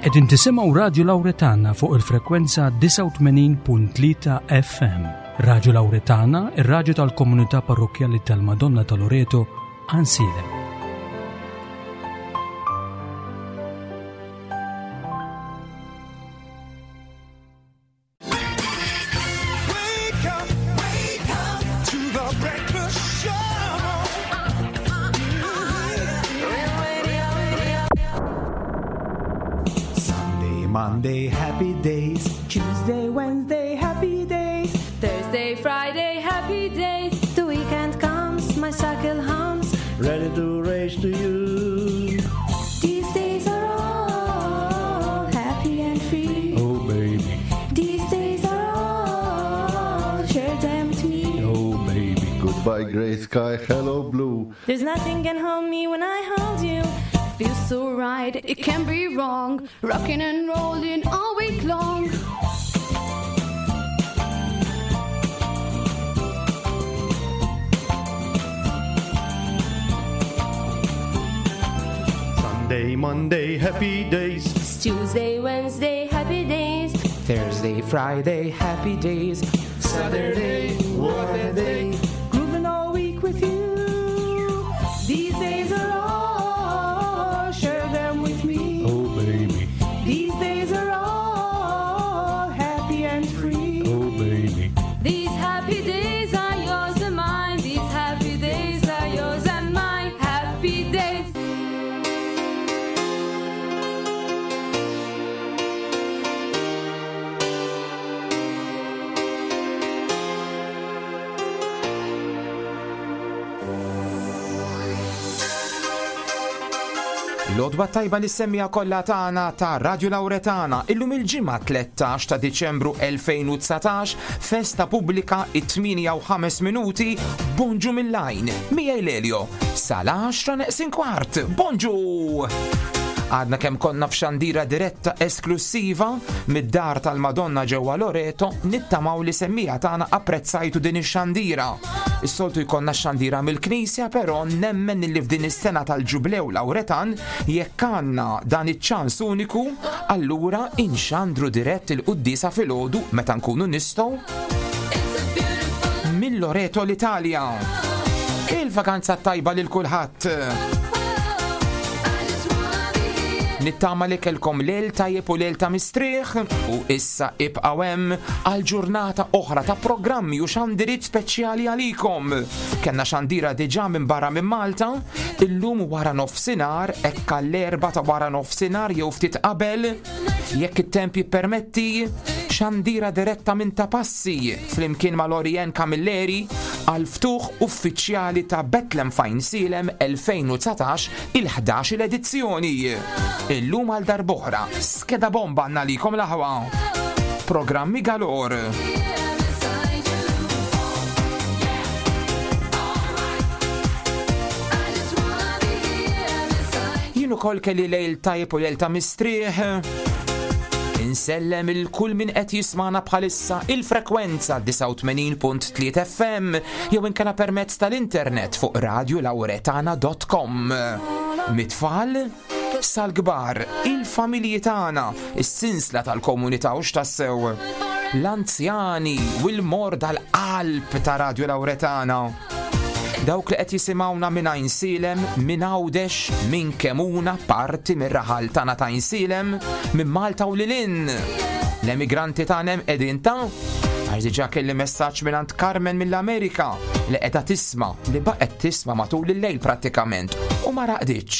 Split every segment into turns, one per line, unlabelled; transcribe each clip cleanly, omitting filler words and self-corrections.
Qegħdin tisimgħu Radju Lawretana fuq il-frekwenza 89.3 FM. Radju Lawretana, ir-radju tal-komunità parrokkjali tal-Madonna ta' Loreto, Għansielem.
Sunday, Monday, happy days.
Tuesday, Wednesday, happy days.
Thursday, Friday, happy days.
The weekend comes, my cycle hums.
Ready to race to you.
These days are all happy and free.
Oh, baby.
These days are all, share them with me.
Oh, baby.
Goodbye, gray sky. Hello, blue.
There's nothing can hold me when I hold you.
Feels so right, it can't be wrong. Rocking and rolling all week long.
Sunday, Monday, happy days.
It's Tuesday, Wednesday, happy days.
Thursday, Friday, happy days.
Saturday, what a day.
Grooving all week with you. These days are all, share them with me.
Oh, baby.
These days are all happy and free.
Oh, baby.
These happy days are yours and mine. These happy days are yours and mine. Happy days.
L-odwa tajba li semmija kollha tagħna ta' Radio Lauretana illum il-ġimgħa 13 ta' Diċembru 2019 festa pubblika it-8 u 5 minuti bonġu mill-lajn miegħi Lelio sal-10 neqsin kwart. Bonġu! Għadna kemm konna f'xandira diretta esklusiva mid-dar tal-Madonna ġewwa Loreto nittamaw li semmija tagħna apprezzajtu din ix-xandira. Is-soltu jkollna xandira mill-Knisja, però nemmen li f'din is-sena tal-Ġublew Lawretan jekk għandna dan iċ-ċans uniku, allura inxandru dirett il-quddiesa filgħodu meta nkunu nistgħu minn Loreto l-Italja. Il-vakanza tajba lil kulħadd. Nittama li kelkom lejl tajjeb u lejl ta' mistrieħ u issa ibqgħu hemm għal ġurnata oħra ta' programmi u xandiriet speċjali għalikom. Kenna xandira diġà minn barra minn Malta, illum wara nofsinhar hekk għall-erba ta' wara nofsinhar jew ftit qabel, jekk it-temp jippermetti, xandira diretta minn ta' passi flimkien ma' Lorien Camilleri għal ftuħ uffiċjali ta' Bethlehem Fine Silem 2019 il-11 edizzjoni. Illum għal darb'oħra, skeda bomba għandna likom l-aħwa. Programmi galor. Jien ukoll kelli lejl tajjeb u lejl ta' mistrieħ. Insellem il-kull min qed jismana bħalissa il-frekwenza 89.3 FM jew inkella permezz tal-internet fuq radiolawretana.com. Mit-tfal sal-kbar, il-familji tagħna, is-sinsla tal-komunità u x'tassew. L-anzjani u l-morda l-qalb ta' Radio Lauretana. Dawk li qed jisimgħuna minn Għajnsielem, minn Għawdex, minn Kemuna, parti mir-raħal tagħna ta' Għajnsielem, minn Malta u lilin. L-emigranti tagħna hemm qegħdin ta' għax diġà kelli messaġġ mingħand Carmen mill-Amerika li qiegħda tisma' li baqgħet tisma' matul il-lejl prattikament u ma raqditx.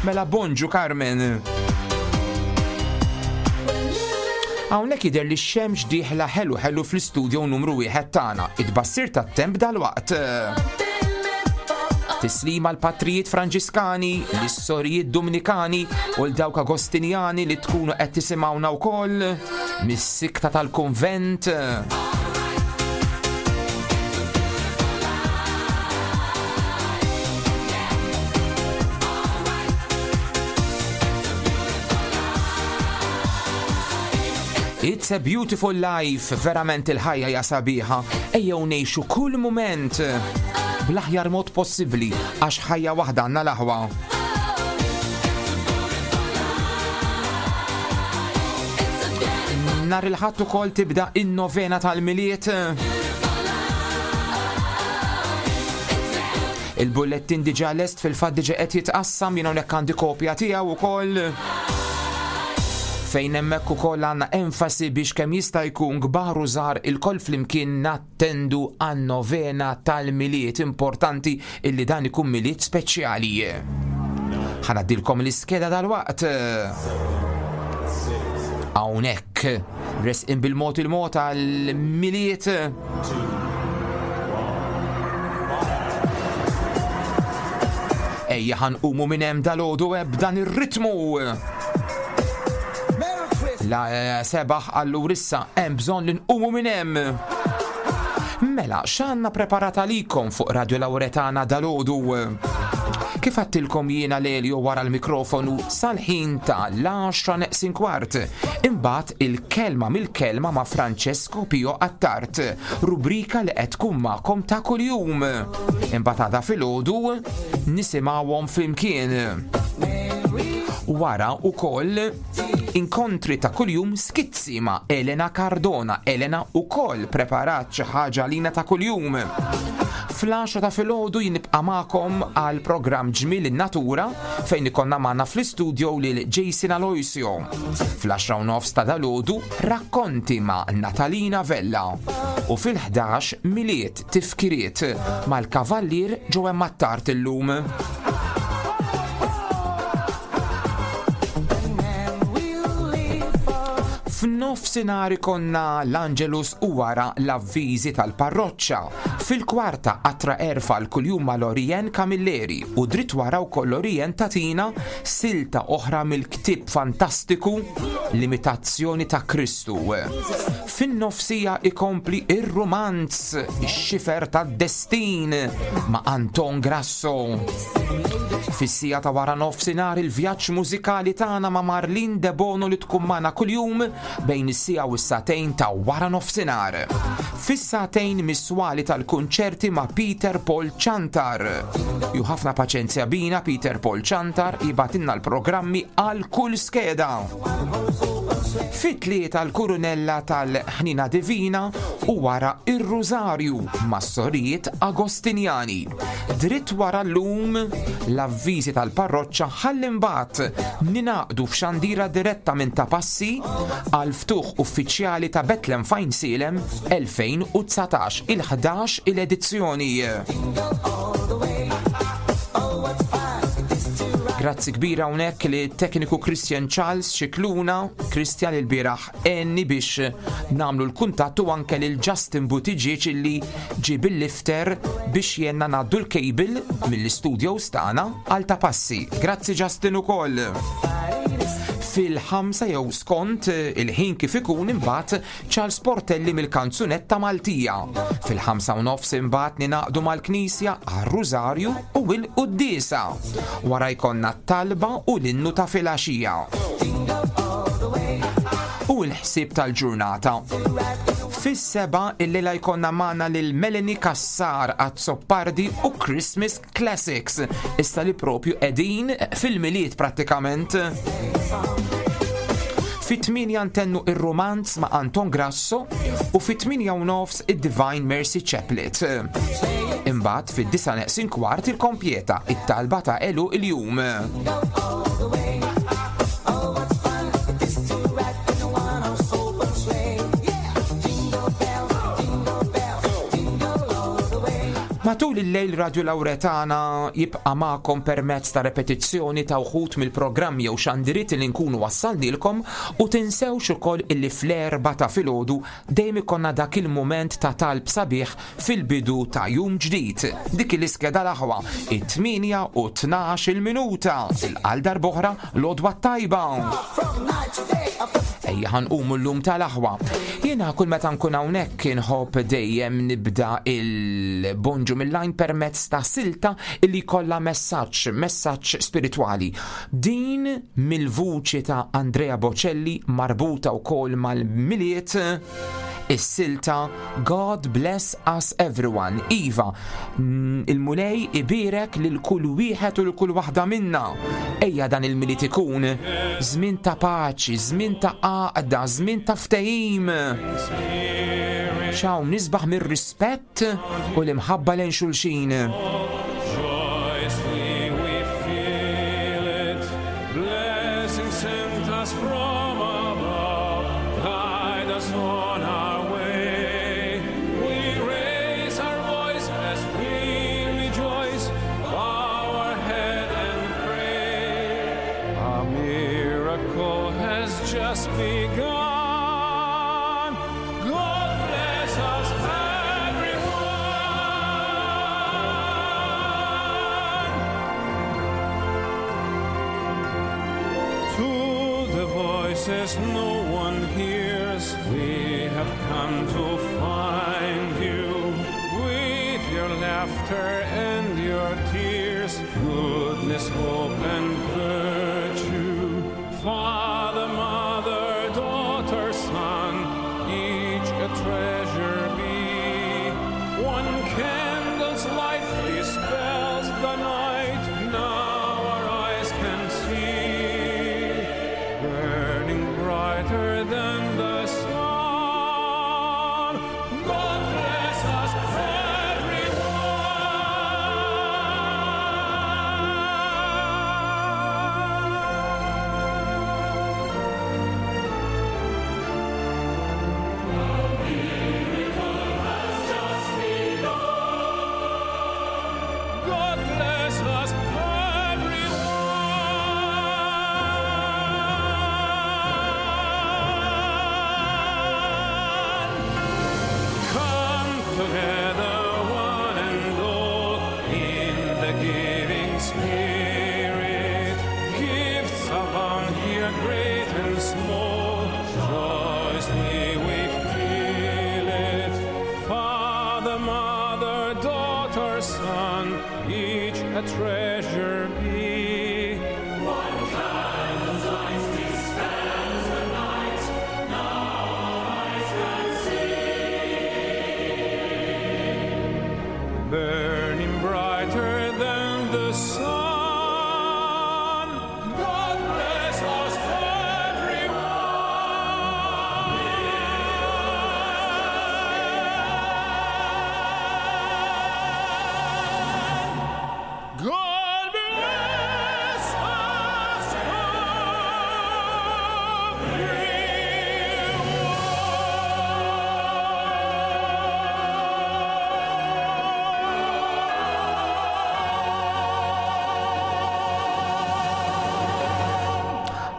Mela bonġu Carmen. Hawnhekk jidher li x-xemx dieħla ħelu ħelu fl-istudio numru wieħed tagħna, it-tbassir tat-temp dalwaqt. Tislima l-patrijiet Franġiskani, l-sorijiet Dominikani u l-dawk Agostinjani li tkunu qed tisimgħuna wkoll mis-sikta tal-kunvent. It's a beautiful life, verament il-ħajja hija sabiħa. Ejjew ngħixu kull mument bl-aħjar mod possibbli għax ħajja waħda għandna l-aħwa. Nhar il-Ħadd ukoll tibda in-novena tal-Milied. Il-bullettin diġà lest fil-fatt diġà qed jitqassam jien hawnhekk għandi kopja tiegħu ukoll fejn hemmhekk ukoll għandna enfasi biex kemm jista' jkun kbar u żgħar ilkoll flimkien nattendu għan-novena tal-Milied importanti illi dan ikun Milied speċjali. Ħanaddilkom l-iskeda dal-waqt. Hawnhekk resqin bil-mod il-mod għal-Milied. Ejja ħanqumu minn hemm dal-għodu eh, b'dan ir-ritmu. La eh, sebaħ allura issa hemm bżonn li nqumu minn hemm. Mela, x'għandna preparat għalikom fuq Radio Lauretana dal-għodu? Kif għattilkom jiena Lelio wara l-mikrofonu sal-ħin ta' l-10 neqsin kwart. Imbagħad il-kelma mill-kelma ma' Francesco Pio Attard, rubrika li qed tkun magħkom ta' kuljum. Imbagħad għada filgħodu nisimgħuhom flimkien. Wara ukoll inkontri ta' kuljum skizzi ma' Elena Cardona. Elena ukoll preparat xi ħaġa għalina ta' kuljum. Fl-10 ta' filgħodu jinibqa' magħkom għal programm Ġmiel in-Natura fejn ikollna magħna fl-istudio lil Jason Aloisio. Fl-10 u nofs ta' dalgħodu rakkonti ma' Natalina Vella u fil-11 Milied tifkiriet mal-Kavallier Joe Attard illum. F'nofsinhar ikonna l-Angelus u wara l-avviżi tal-parroċċa. Fil-kwarta qatra erfa l kuljum ma' Lorien Camilleri u dritt wara wkoll Lorien tatina silta oħra mill-ktieb fantastiku L-Imitazzjoni ta' Kristu. Fin-nofsija ikompli ir-rumanz Ix-Xifer tad-Destin ma' Anton Grasso. Fis-siegħa ta' wara nofsinhar il-vjaġġ mużikali tagħna ma' Marlene Debono li tkun magħna kuljum bejn is-siegħa u s-sagħtejn ta' wara nofsinhar. Fis-sagħtejn mis-swali tal-kunċerti ma' Peter Paul Ciantar. Ju ħafna paċenzja bina Peter Paul Ciantar jibgħatilna l-programmi għal kull skeda. Fit-tlieta l-Kurunella tal-Ħnina Divina u wara ir-Rużarju mas-Sorijiet Agostinjani. Dritt wara llum l-avviżi tal-parroċċa ħalli mbagħad ningħaqdu f'xandira diretta minn Ta' Passi għal ftuħ uffiċjali ta' Bethlehem Fajnsielem 2019 il-11 il-edizzjoni. Grazzi kbira hawnhekk li tekniku Christian Charles Xikluna, Christian il-bieraħ għenni biex nagħmlu l-kuntatt u anke lil Justin Buttigieg illi ġie bil-lifter biex jenna ngħaddu l-cable mill-istudios tagħna għal ta' passi. Grazzi Justin ukoll. Fil-ħamsa jew skont il-ħin kif ikun imbagħad Charles Portelli mill-kanzunetta Maltija. Fil-ħamsa u nofs imbagħad ninaqdu mal-Knisja għar-Rużarju u l-Quddiesa. Wara jkollna t-talba u l-innu ta' filgħaxija. U l-ħsieb tal-ġurnata. Fis-seba illejla jkollna magħna lil Melanie Cassar Azzopardi u Christmas Classics, issa li propju qegħdin fil-Milied prattikament. Fit-8 ntennu ir-romanz ma' Anton Grasso u fit-8 u nofs id-Divine Mercy Chaplet. Imbagħad fid-disa neqsin kwart il-kompjeta, it-talba ta' elu il-jum. Matul il-lejl Radio Lauretana jibqa' magħkom permezz ta' repetizzjoni ta' wħud mill-programmi jew xandiriet li nkunu wassalnilkom u tinsewx ukoll illi fl-erba' ta' filgħodu dejjem ikollna dak il-mument ta' talb sabiħ fil-bidu ta' jum ġdid. Dik l-iskeda l-aħwa, it-8 u 12 il-minuta, il-għal darb'oħra l-għodwa t-tajba. Ejja ħanqumu llum tal-aħwa. Jiena kull meta nkun hawnhekk inħobb dejjem nibda il-bonġu mill-lajn permezz ta' silta illi jkollha messaġġ, messaġġ spiritwali. Din mill-vuċi ta' Andrea Bocelli marbuta wkoll mal-Milied. Is-silta God Bless Us Everyone. Iva, il-Mulej ibierek lil kull wieħed u lil kull waħda minna. Ejja dan il-Milied ikun żmien ta' paċi, żmien ta' għaqda, żmien ta' ftehim. X'hawn nisbaħ mir-rispett u l-imħabba lejn xulxin.
Just begun. God bless us, everyone. To the voices no one hears, we have come to find you. With your laughter and your tears, goodness, hope, and virtue. Father, mother, daughter, son, each a treasure be. One candle's light dispels the night, now our eyes can see, burning brighter than the sun. God bless us, everyone. God bless us, everyone. Come together, one and all, in the giving spirit. Gifts abound here, great and small. Joyously we feel it. Father, mother, daughter, son, each a treasure be. One candle's light dispels the night. Now our eyes can see. Burning brighter than the sun. God bless us, everyone. God bless us,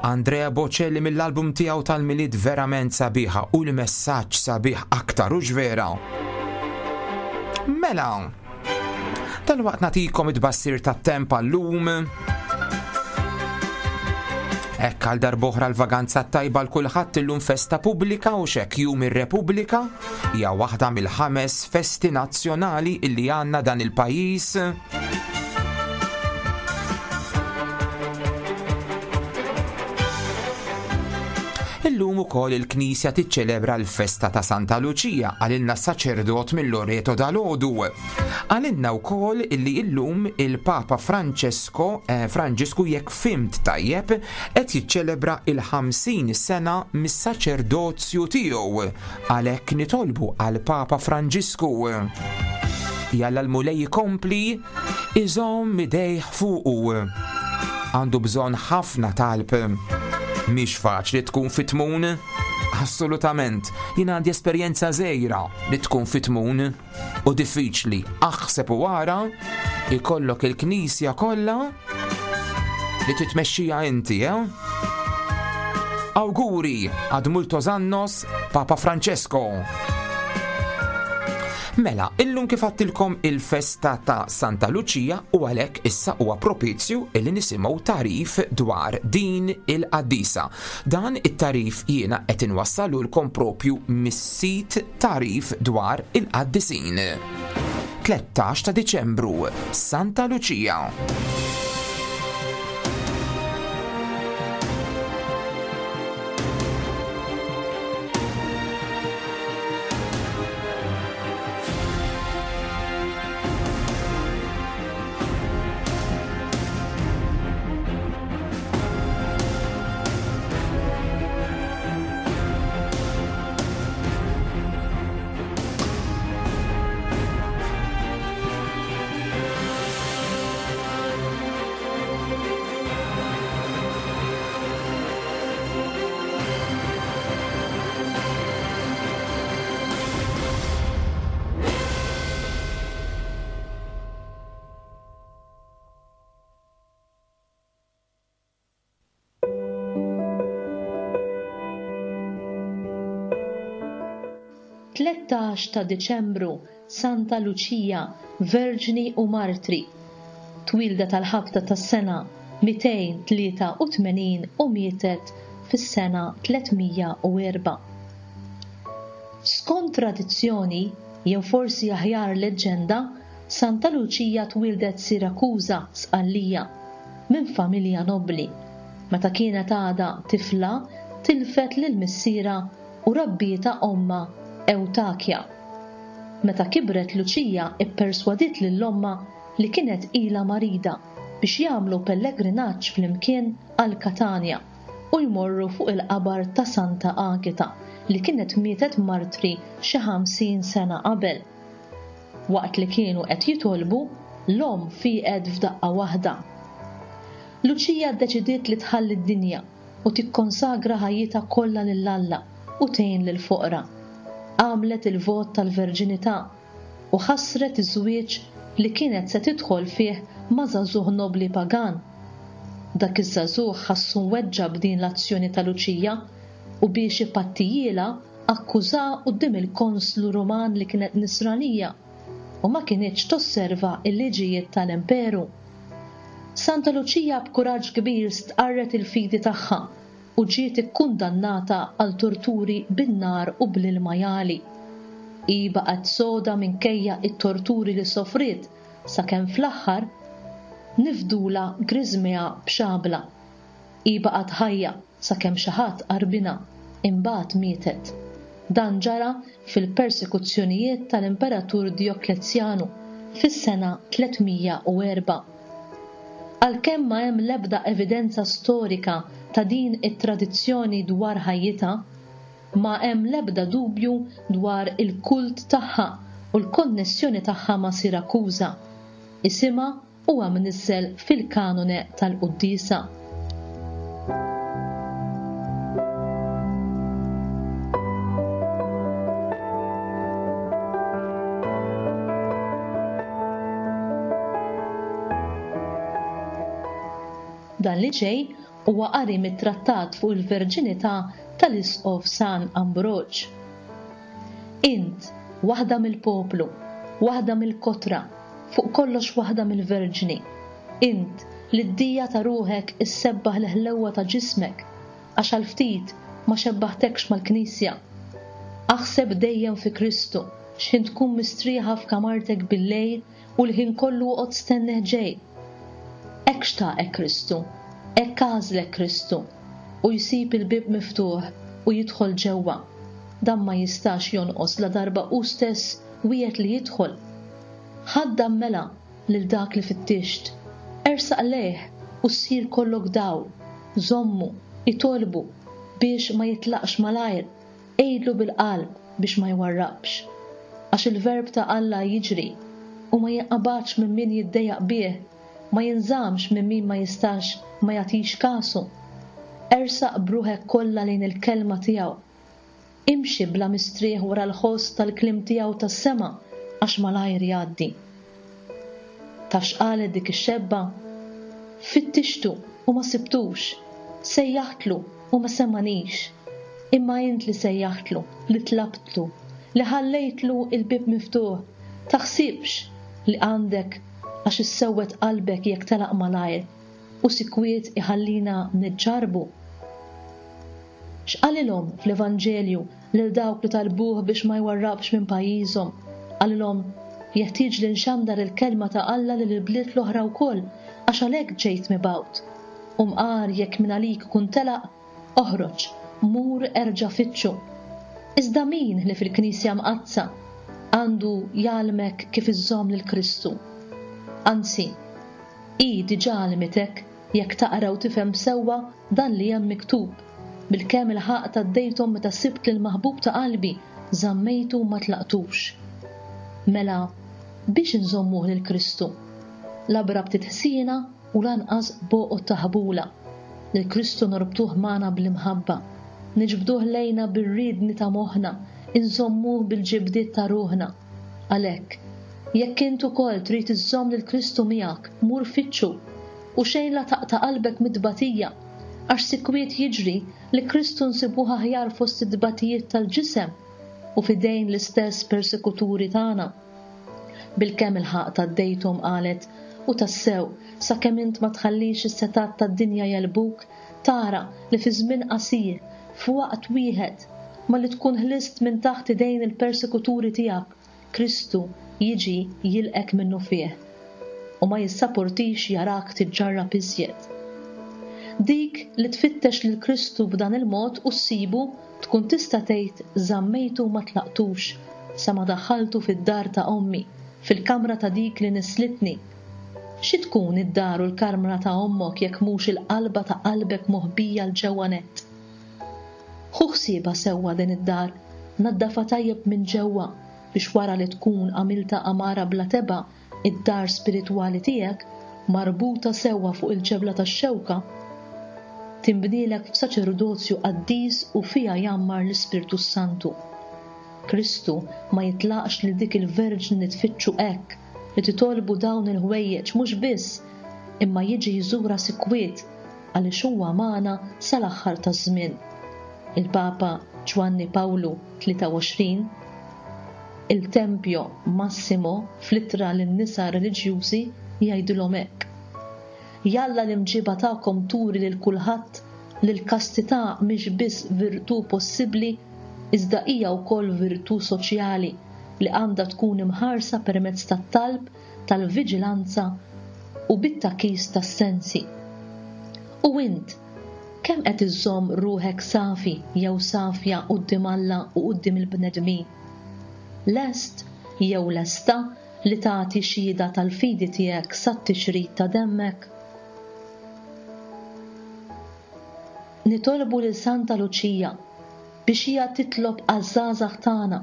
Andrea Bocelli mill-album tiegħu tal-Milied verament sabiħa u l-messaġġ sabiħ aktar u vera. Mela, dalwaqt nagħtikom it-tbassir tat-temp għallum. Hekk għal darb'oħra l-vaganza tajba l kulħadd illum festa pubblika u xek jum ir-Repubblika hija waħda mill-ħames festi nazzjonali illi għandna dan il-pajjiż. Illum ukoll il-Knisja tiċċelebra l-festa ta' Santa Luċija għalilna saċerdot mill-Loreto dal-Odu. Għalilna wkoll illi illum il-Papa Francesco eh, Franġisku jekk fimt tajjeb qed jiċċelebra il-50 sena mis-saċerdozju tiegħu. Għalhekk nitolbu għal Papa Franġisku. Jalla l-Mulej ikompli iżomm idejh fuqu. Għandu bżonn ħafna talb. Mhix faċli tkun fit-tmun. Assolutament, jien għandi esperjenza żgħira li tkun fit-tmun u diffiċli. Aħseb u ara ikollok il-knisja kollha li titmexxija inti, eh? Awguri ad multos annos Papa Francesco. Mela, illum kif għattilkom il-festa ta' Santa Lucia u għalhekk issa huwa propizju illi nisimgħu tarif dwar din il-qaddisa. Dan it-tarif jiena qed inwassalulkom propju mis-sit tarif dwar il-qaddisin. 13 ta' Diċembru, Santa Lucia.
13 ta' Diċembru, Santa Luċija, Verġni u Martri. Twieldet għall-ħabta tas-sena 283 u mietet fis-sena 304. Skont tradizzjoni, jew forsi aħjar leġġenda, Santa Luċija twieldet Sirakuża, Sqallija, minn familja nobbli. Meta kienet għadha tifla tilfet lil missierha u rabbietha ommha Ewtakja. Meta kibret Luċija pperswadiet lil ommha li kienet ilha marida biex jagħmlu pellegrinaġġ flimkien għal Katanja u jmorru fuq il-qabar ta' Santa Agita li kienet mietet martri xi 50 sena qabel. Waqt li kienu qed jitolbu, l-omm fieqet f'daqqa waħda. Luċija ddeċidiet li tħalli d-dinja u tikkonsagra ħajjitha kollha lil Alla u tgħin lill-foqra. Għamlet il-vot tal-verġinità u ħassret iż-żwieġ li kienet se tidħol fih ma' żagħżugħ nobbli pagan. Dak iż-żagħżugħ ħassu mweġġa' b'din l-azzjoni ta' Luċija u biex ipattijielha akkużaha quddiem il-konslu Ruman li kienet Nisranija u ma kinitx tosserva l-liġijiet tal-imperu. Santa Luċija b'kuraġġ kbir stqarret il-fidi tagħha u ġiet ikkundannata għal torturi bin-nar u bl-ilma jagħli. Hi baqgħet soda minkejja t-torturi li sofriet sakemm fl-aħħar nifdulha griżmejha b'xabla. Hi baqgħet ħajja sakemm xi ħadd qarbinha, imbagħad mietet. Dan ġara fil-persekuzzjonijiet tal-Imperatur Djoklezjanu fis-sena 304. Għalkemm ma hemm l-ebda evidenza storika ta' din it-tradizzjoni dwar ħajjitha, ma hemm l-ebda dubju dwar il-kult tagħha u l-konnessjoni tagħha ma' Sirakuża. Isimha huwa mniżżel fil-kanone tal-quddiesa. Dan li ġej huwa qari mit-trattat fuq il-verġinità tal-Isqof San Ambroġ. Int, waħda mill-poplu, waħda mill-kotra, fuq kollox waħda mill-verġni. Int, li d-dija ta' ruħek issebbaħ l-ħlewwa ta' ġismek, għax għal ftit ma xebbaħtekx mal-Knisja. Aħseb dejjem fi Kristu, x'ħin tkun mistrieħa f'kamartek bil-lejl u l-ħin kollu oqgħod stennih ġej. Hekk xtaqek Kristu, hekk għażlek Kristu, u jsib il-bieb miftuħ u jidħol ġewwa. Dan ma jistax jonqos ladarba hu stess wiegħed li jidħol. Ħaddam mela lil dak li fittixt, ersaq lejh u ssir kollok dawl, żommu, itolbu biex ma jitlaqx malajr, għidlu bil-qalb biex ma jwarrabx. Għax il-Verb ta' Alla jiġri u ma jinqabadx minn min jiddejjaq bih, ma jinżammx minn min ma jistax ma jagħtix kasu. Ersaq b'ruħek kollha lejn il-kelma tiegħu. Imxi bla mistrieħ wara l-ħoss tal-kliem tiegħu tas-sema għax malajr jgħaddi. Taf x'qalet dik ix-xebba? Fittixtu u ma sibtux, sejjaħtlu u ma semagħnix. Imma int li sejjaħtlu, li tlabtlu, li ħallejtlu l-bieb miftuħ, taħsibx li għandek għax issewwed qalbek jekk telaq malajr u sikwit iħallina niġġarrbu. X'qalilhom fl-Evanġelju lil dawk li talbuh biex ma jwarrabx minn pajjiżhom? Qalilhom, Jeħtieġli nxandar il-kelma ta' Alla lil il-bliet l-oħra wkoll, għax għalhekk ġejt mibgħut. U mqar jekk mingħalik ikun telaq, oħroġ, mur erġa' fittxu. Iżda min ħlief il-Knisja Mqaddsa għandu jgħallmek kif iżżomm lil Kristu? Anzi, hi diġà għallmitek jekk taqra u tifhem sewwa dan li hemm miktub, Bilkemm ilħaqt għaddejthom meta sibt lill-maħbub ta' qalbi, żammejtu u ma tlaqtux. Mela, biex inżommuh lil Kristu? La b'rabtiet ħsiena u lanqas b'għoqod ta' ħbula. Lil Kristu norbtuh magħna bl-imħabba. Niġbduh lejna bir-riedni ta' moħħna, inżommuh bil-ġibdiet ta' ruħna. Għalhekk, jekk int ukoll trid iżżomm lil Kristu miegħek, mur fittxu, u xejn la taqta' qalbek mit-tbatija, għax sikwit jiġri li Kristu nsibuh aħjar fost it-tbatijiet tal-ġisem. u f'idejn l-istess persekuturi tagħna. Bilkemm ilħaqt għaddejthom, qalet, u tassew, sakemm int ma tħallix is-setgħat tad-dinja jegħlbuk, tara li fi żmien qasir, f'waqt wieħed, malli tkun ħlist minn taħt idejn il-persekuturi tiegħek, Kristu jiġi jilqgħek minnufih, u ma jissaportix jarak tiġġarrab iżjed. Dik li tfittex lil Kristu b'dan il-mod u ssibu tkun tista' tgħid żammejtu u ma tlaqtux sa ma daħħaltu fid-dar ta' ommi, fil-kamra ta' dik li nisslitni. Xi tkun id-dar u l-karmra ta' ommok jekk mhux il-qalba ta' qalbek moħbija 'l ġewwa nett? Ħu ħsiebha sewwa din id-dar, naddafha tajjeb minn ġewwa biex wara li tkun għamiltha għamara bla tebgħa id-dar spiritwali tiegħek, marbuta sewwa fuq il-ġebla tax-xewka, tinbnielek f'saċerdozju qaddis u fiha jgħammar l-Ispirtu s-Santu. Kristu ma jitlaqx lil dik il-Verġni li tfittxu hekk, li titolbu dawn il-ħwejjeġ mhux biss, imma jiġi jżurha sikwit għaliex huwa magħna sal-aħħar taż-żmien. Il-Papa Ġwanni Pawlu 23, Il Tempio Massimo fl-ittra lin-nisa reliġjużi jgħidilhom hekk, Jalla l-imġiba tagħkom turi lil kulħadd li l-kastità mhix biss virtù possibbli iżda hija wkoll virtù soċjali li għandha tkun imħarsa permezz tat-talb, tal-viġilanza u bit-tagħkis tas-sensi. U int, kemm qed iżżomm ruħek safi jew safja quddiem Alla u quddiem il-bnedmin? Lest jew lesta li tagħti xhieda tal-fidi tiegħek sat-tixrid ta' demmek? Nitolbu lil Santa Luċija biex hija titlob għaż-żgħażagħ tagħna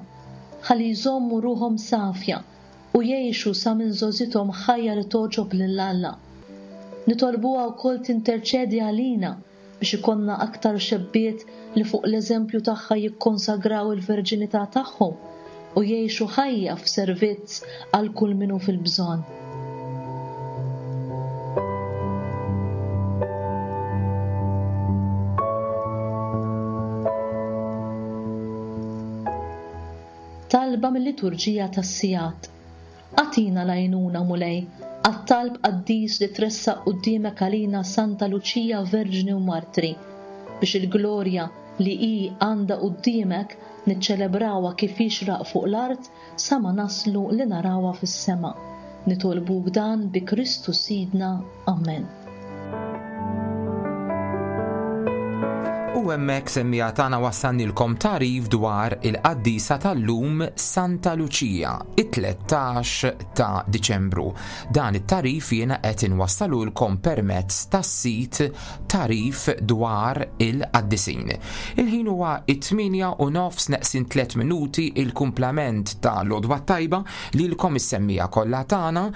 ħalli jżommu ruħhom safja u jgħixu sa minn żgħożithom ħajja li togħġob lil Alla. Nitolbuha wkoll tinterċedi għalina biex ikollna aktar xebbiet li fuq l-eżempju tagħha jikkonsagraw il-verġinità tagħhom u jgħixu ħajja f'servizz għal kull min hu fil-bżonn. Talba mil-Liturġija tas-Sigħat. Agħtina l-għajnuna, Mulej, għat-talb qaddis li tressaq quddiemek għalina Santa Luċija Verġni u Martri, biex il-glorja li hi għandha quddiemek niċċelebrawha kif jixraq fuq l-art sa ma naslu li narawha fis-sema. Nitolbuk dan bi Kristu Sidna. Amen.
U hemmhekk semmiegħa tagħna wassalnilkom tagħrif dwar il-qaddisa tal-lum Santa Luċija, it-13 ta' Diċembru. Dan it-tagħrif jiena qed inwassalulkom permezz tas-sit Tagħrif dwar il-qaddisin. Il-ħin huwa it-8 u nofs neqsin 3 minuti il-kumplament ta' l-għodwa t-tajba lilkom is-semmiegħa kollha tagħna.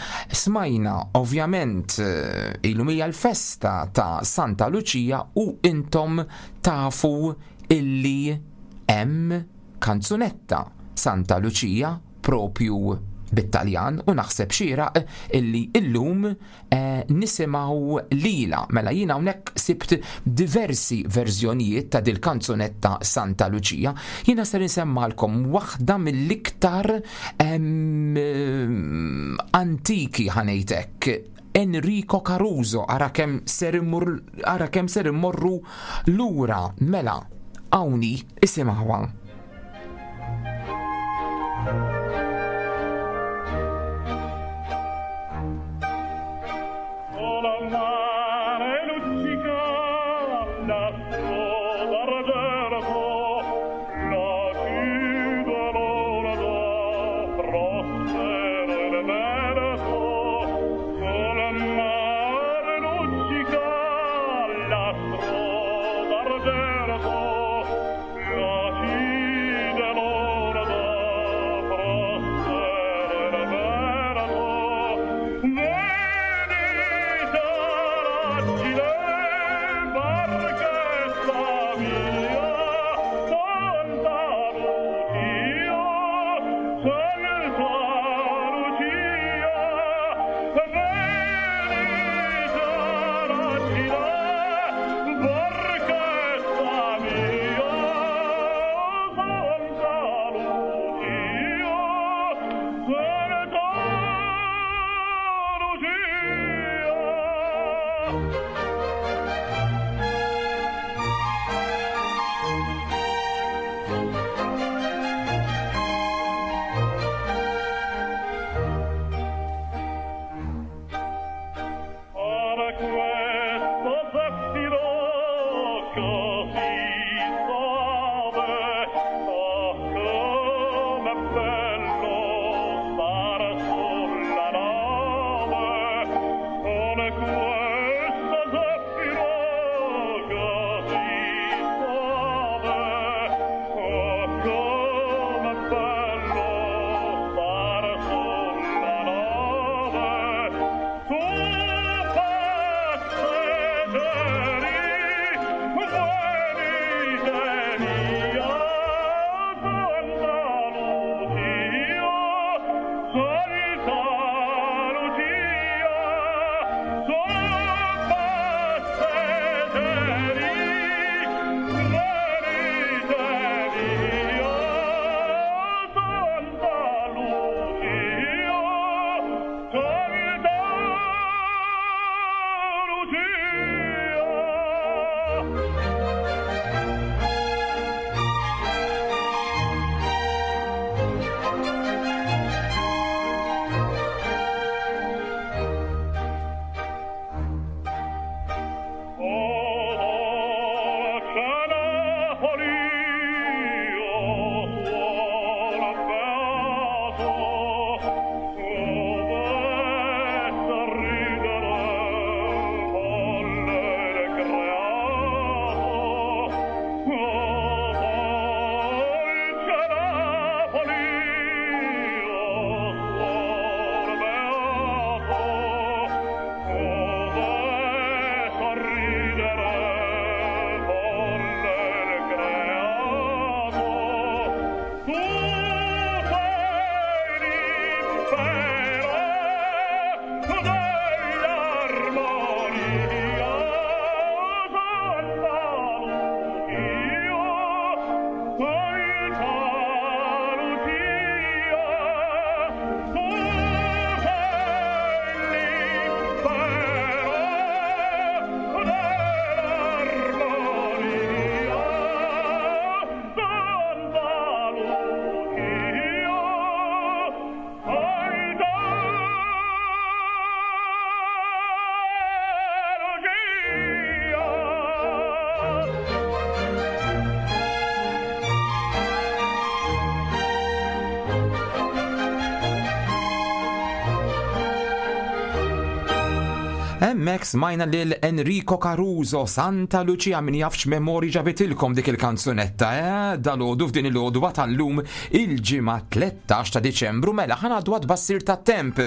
Smajna ovvjament eh, illum hija l-festa ta' Santa Luċija u intom tafu illi hemm kanzunetta Santa Luċija propju bit-Taljan u naħseb xieraq illi illum eh, nisimgħu lila. Mela jiena hawnhekk sibt diversi verżjonijiet ta' dil-kanzunetta Santa Lucia. Jiena ser insemmalkom waħda mill-iktar antiki ħanejtek Enrico Caruso ara kemm ser ara kemm ser immorru lura mela hawnhi isimgħuha. Hemmhekk smajna lil Enrico Caruso, Santa Lucia min jafx memori ġabitilkom dik il-kanzunetta, eh? Dalodu f'din il-għodwa tal-lum il-ġimgħa 13 ta' Diċembru mela ħanaddu għad-bassir tat-temp.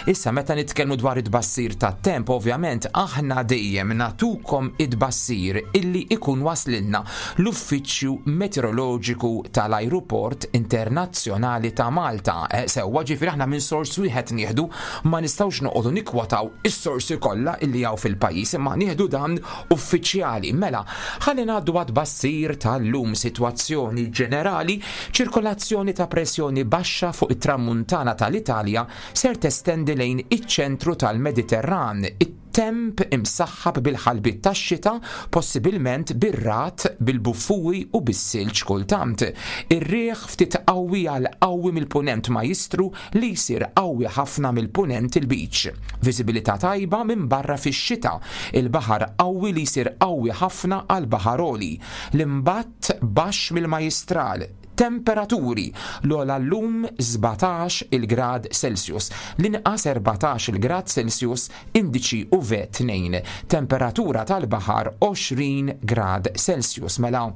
Issa meta nitkellmu dwar it-bassir tat-temp, ovvjament aħna dejjem natukom it-bassir illi ikun waslilna l-Uffiċċju Meteoroloġiku tal-Ajruport Internazzjonali ta' Malta. Eh, sewwa ġifieri aħna minn sors wieħed nieħdu ma nistgħux noqogħdu nikwotaw is-sorsi kollha illi hawn fil-pajjiż imma nieħdu dan uffiċjali. Mela, ħalli ngħaddu għad bassir tal-lum sitwazzjoni ġenerali, ċirkolazzjoni ta' pressjoni baxxa fuq it-tramuntana tal-Italja ser testendi lejn iċ-ċentru tal-Mediterran. It-temp imsaħħab bil-ħalbiet tax-xita, possibilment bir-ragħad, bil-buffuri u bis-silġ kultant. Ir-riħ ftit qawwi għal qawwi mill-Punent Majjistru li jsir qawwi ħafna mill-Punent il-Lbiċ. Viżibilità tajba minbarra fix-xita. Il-baħar qawwi li jsir qawwi ħafna għal baħar għoli. L-imbatt baxx mill-Majjistral. Temperaturi, l-ogħla llum 17 il grad Celsius, l-inqas 14 il grad Celsius, indiċi UV 2, temperatura tal-baħar 20 grad Celsius. Mela,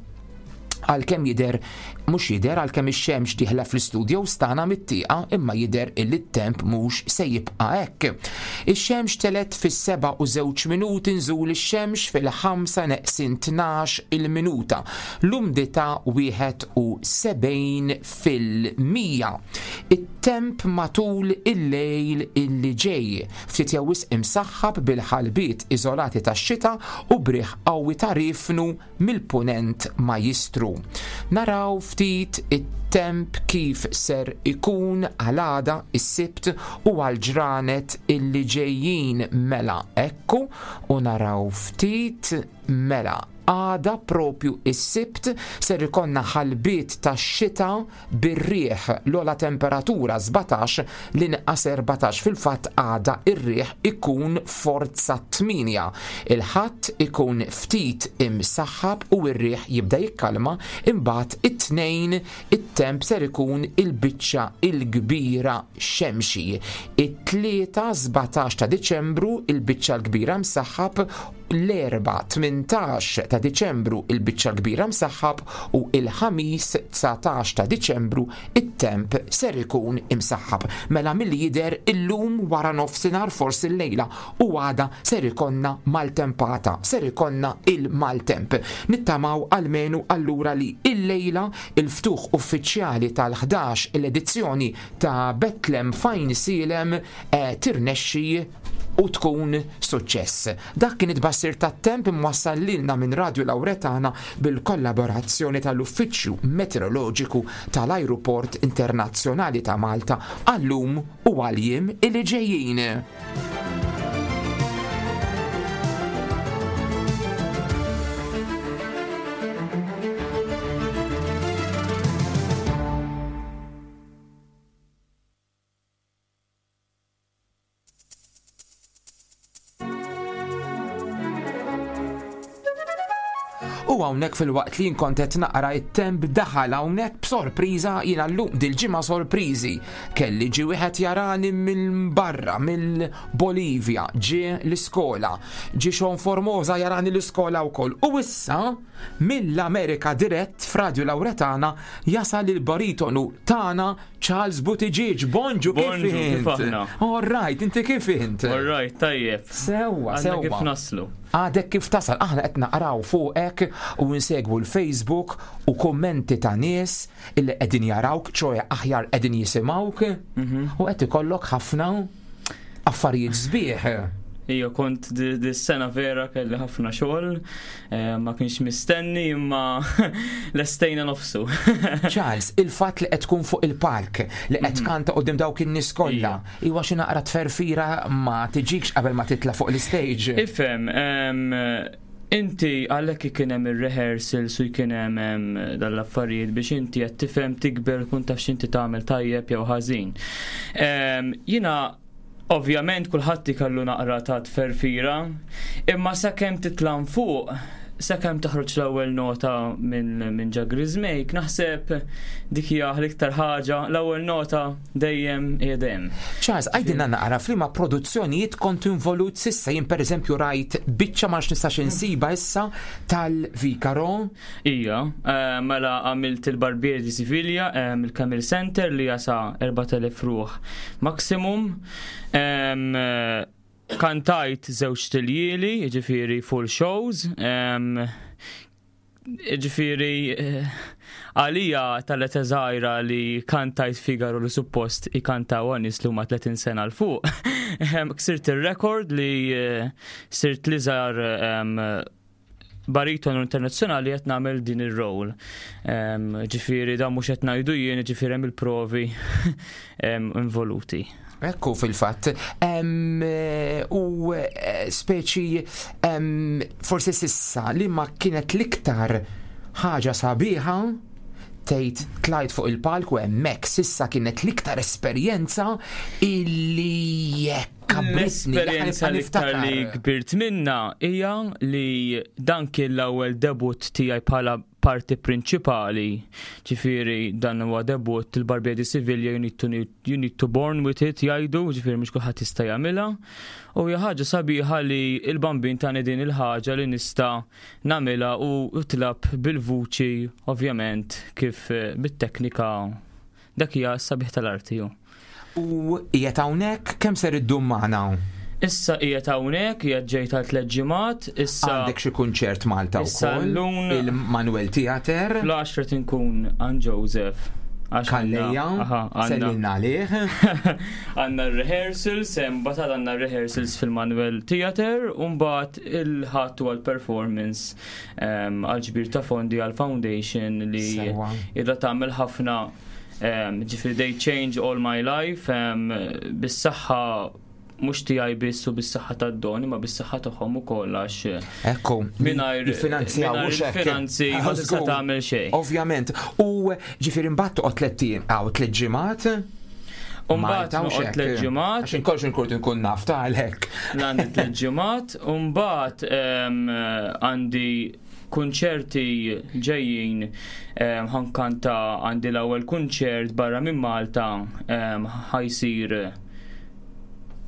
għalkemm jidher mhux jidher għalkemm ix-xemx dieħla fl-istudio stana mit-tieqa imma jidher illi t-temp mhux se jibqa' hekk. Ix-xemx telet fis-7 u żewġ minuti nżul ix-xemx fil-5 neqsin 12 il-minuta. L-umdità 71%. It-temp matul il-lejl illi ġej, ftit jew wisq imsaħħab bil-ħalbiet iżolati tax-xita u b'riħ qawwi ta' riefnu mill-Punent Majjistru. Naraw ftit it-temp kif ser ikun għal għada, is-Sibt, u għall-ġranet illi ġejjin mela ekku u naraw ftit mela. Għada propju is-Sibt ser ikollna ħalbiet tax-xita bir-riħ, l-ogħla temperatura 17, l-inqas 14, fil-fatt għada ir-riħ ikun forza 8. Il-Ħadd ikun ftit imsaħħab u r-riħ jibda jikkalma, imbagħad it-Tnejn it-temp ser ikun il-biċċa l-kbira xemxi. It-Tlieta 17 ta' Diċembru il-biċċa l-kbira msaħħab l-Erbgħa 18 ta' Diċembru il-biċċa l-kbira msaħħab u il-Ħamis 19 ta' Diċembru it-temp ser ikun imsaħħab. Mela milli jidher illum wara nofsinhar forsi llejla u għada ser ikollna maltempata, ser ikollna il-maltemp. Nittamaw almenu allura li illejla il-ftuħ uffiċjali tal-11 il-edizzjoni ta' Betlem Fajnsielem tirnexxi u tkun suċċess. Dak kien it-tbassir tat-temp imwassal lilna minn Radju Lawretana bil-kollaborazzjoni tal-Uffiċċju Meteoroloġiku tal-Ajruport Internazzjonali ta' Malta għal-lum u għall-jiem li ġejjin. U hawnhekk filwaqt li jien kont qed naqra it-temp daħal hawnhekk b'sorpriża jiena llum dil-ġimgħa sorpriżi. Kelli ġie wieħed jarani minn barra mill-Bolivja, ġie l-iskola, ġie Sean Formosa jarani l-iskola wkoll. U issa mill-Amerika dirett f'Radju Lawretana jasal il-baritonu tagħna Charles Buttigieg, bonġu kif int? All right, inti kif int?
All right, tajjeb.
Sewwa, sewwa.
Kif naslu?
Għadek kif tasal, aħna qed naqraw fuqek u nsegwu l-Facebook u kummenti ta' nies illi qegħdin jarawk, ċoe aħjar qegħdin jisimgħuk u qed ikollok ħafna affarijiet sbieħ.
Ija, kont dis-sena vera kelli ħafna xogħol, eh, ma kienx mistenni imma lestejna nofsu.
Charles, il-fatt li qed tkun fuq il-palk, li qed mhm. kanta qudiem dawk in-nies kollha, iwa xi naqra tferfira ma tiġikx qabel ma titla' fuq l-istage.
Ifhem, inti għalhekk kien hemm ir-rehearsals u kien hemm dal-affarijiet biex inti qed tifhem tikber kun taf x'inti tagħmel tajjeb jew ħażin. Jiena Ovvjament kulħadd ikollu naqra ta' tferfira, imma sakemm titla' fuq, sakemm toħroġ l-ewwel nota minn min ġo griżmejk, naħseb dik hija l-iktar ħaġa, l-ewwel nota dejjem hija dejjem.
Charles, għidilna naqra f'liema produzzjonijiet kont involut s'issa, jien pereżempju rajt biċċa ma nafx nistax insibha issa tal-Vicaro.
Ija, eh, mela għamilt il-Barbier di Siviglia, eh, il-Camel Center li jasa 4000 ruħ maximum. Eh, kantajt żewġ tiljieli, ġifiri full shows. Ġifiri, għalija tal-età żgħira li kantajt Figaro li suppost ikantaw nies li huma 30 sena l fuq. Ksirt il-rekord li sirt li żgħar baritonu internazzjonali qed nagħmel din ir-role. Ġifieri dan mhux qed ngħidu jien, ġifieri hemm il-provi involuti.
Ekku fil-fatt. U eh, speċi forsi sissa li ma kienet l-iktar ħaġa sabiħa tgħid tlajt fuq il-palk u hemmhekk sissa kienet l-iktar esperjenza illi jekk
L-esperjenza l-iktar li kbirt minna hija li dan kien l-ewwel debut tiegħi bħala parti prinċipali. Ġifieri dan huwa debut il-Barbier di Siviglia you need to, you need to born with it jgħidu, ġifieri mhux kulħadd jista' jagħmilha. U hija ħaġa sabiħa li l-bambin tani din il-ħaġa li nista' nagħmilha u tlab bil-vuċi ovvjament kif eh, bit-teknika Dak hija s-sabiħ tal-arti hu.
U qiegħed hawnhekk kemm ser iddum magħna?
Issa qiegħed hawnhekk, qiegħed ġej tal tliet ġimgħat, issa
Għandek xi kunċert Malta wkoll.
Issa
Il-Manuel Theater.
Fl-10 tinkun għand Joseph.
Kalleja, sellilna għalih.
Għandna r-rehearsals, mbagħad għandna rehearsals fil-Manuel Theater, u mbagħad il-ħadd huwa l-performance għal ġbir ta' fondi għal foundation li idha tagħmel ħafna ġifieri they change all my life bis-saħħa mhux tiegħi biss u bis-saħħa tad-don imma bis-saħħa tagħhom ukoll għax
Ekku,
mingħajr
jiffinanzjaw
mingħajr
mhux hekk.
il-finanzi ma tista'
Żgur.
tagħmel xejn.
Ovvjament. U ġifieri mbagħad toqgħod tlett ijiem għaw tliet ġimgħat.
U mbagħad
Malta u
noqgħod
x'hekk.
tliet ġimgħat.
Għax inkolx inkun inkun naf ta' għalhekk.
Għandi tliet ġimgħat u mbagħad em, għandi kunċerti ġejjin em, ħankanta għandi l-ewwel kunċert barra minn Malta em, ħajsir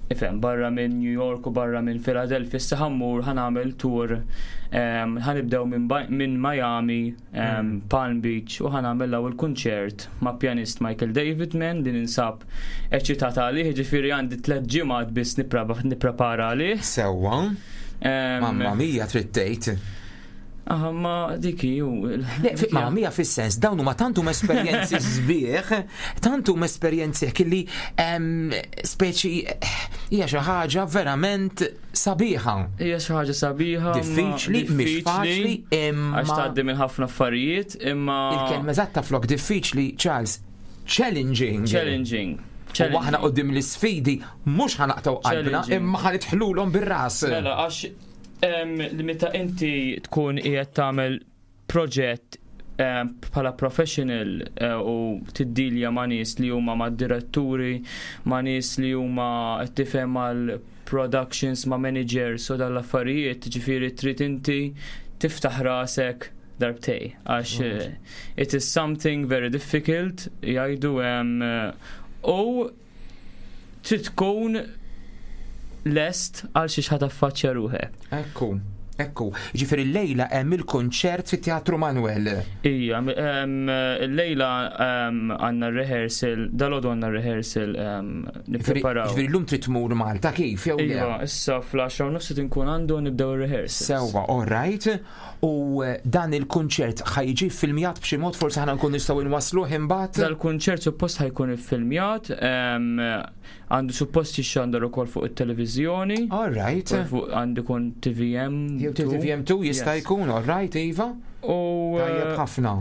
ifhem barra minn New York u barra minn Philadelphia issa ħammur ħanamel tour em, ħanibdew minn Ba- minn Miami, em, Palm Beach u ħanamel l-ewwel kunċert ma' pjanist Michael Davidman li ninsab eċitata għalih, ġifieri għandi tliet ġimgħat biss nipprapa- nipprepara għalih.
Sewwa.
Em,
Mamma mia trid tgħid.
Aha, ma dik hi ju.
Le, fi- Mamma mia fis-sens dawn huma tant huma esperjenzi sbieħ, tant huma esperjenzi hekk li em, speċi hija xi ħaġa verament sabiħa.
Hija xi ħaġa sabiħa. ma
Diffiċli, mhix faċli, imma
Għax tgħaddi minn ħafna affarijiet, imma
il-kelma eżatta flok diffiċli, Charles, challenging.
challenging.
U aħna qudiem l-isfidi mhux ħanaqtaw qalbna
Challenging.
imma ħanidħlulhom bir-ras.
Mela, għax em, li meta inti tkun qiegħed tagħmel proġett em, bħala professional eh, u tiddilja ma' nies li huma ma' diretturi, ma' nies li huma qed tifhem mal productions, ma' managers u dal-affarijiet, ġifieri trid inti tiftaħ rasek darbtej għax eh, it is something very difficult jgħidu em, eh, u trid tkun lest għal xi ħadd affaċċja ruħek.
Ekku, ekku. Ġifieri llejla hemm il-konċert fit-Teatru Manuel.
Ija, em, l-lejla em, għandna rehearsal, dal-għodu għandna rehearsal em, nippreparaw.
Ġifieri llum trid tmur Malta kif jew le?
Iva, issa fl-10 u nofs qed inkun għandu nibdew ir-rehearsal.
Sewwa, all right. U eh, dan il-kunċert ħajġi filmjat b'xi mod forsi ħana nkun nistgħu nwasluh imbagħad.
Dal-kunċert suppost ħajkun iffilmjat, em, għandu suppost jixxandar ukoll fuq it-televiżjoni.
All right.
Fuq għandu kun TVM.
Jew TVM2 jista'
Yes.
jkun, all right, Iva.
U
Tajjeb
eh,
ħafna.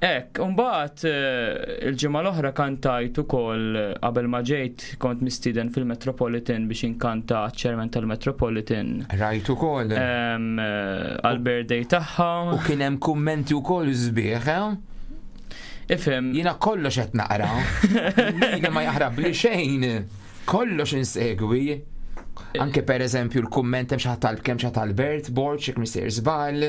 Ek, unbaħt il-ġimgħa l-oħra kantajt ukoll eh, qabel ma ġejt kont mistieden fil-Metropolitan biex inkanta ċermen tal-Metropolitan
Rajt ukoll.
em, eh, għal-birthday tagħha.
U kien hemm kummenti wkoll sbieħ, eh?
Ifhem,
Jiena kollox qed naqra. Jiena ma jaħrab li xejn. Kollox insegwi. Anke per eżempju l-kumment hemm xi ħadd tal kemm xi ħadd Albert Borg jekk missier żball.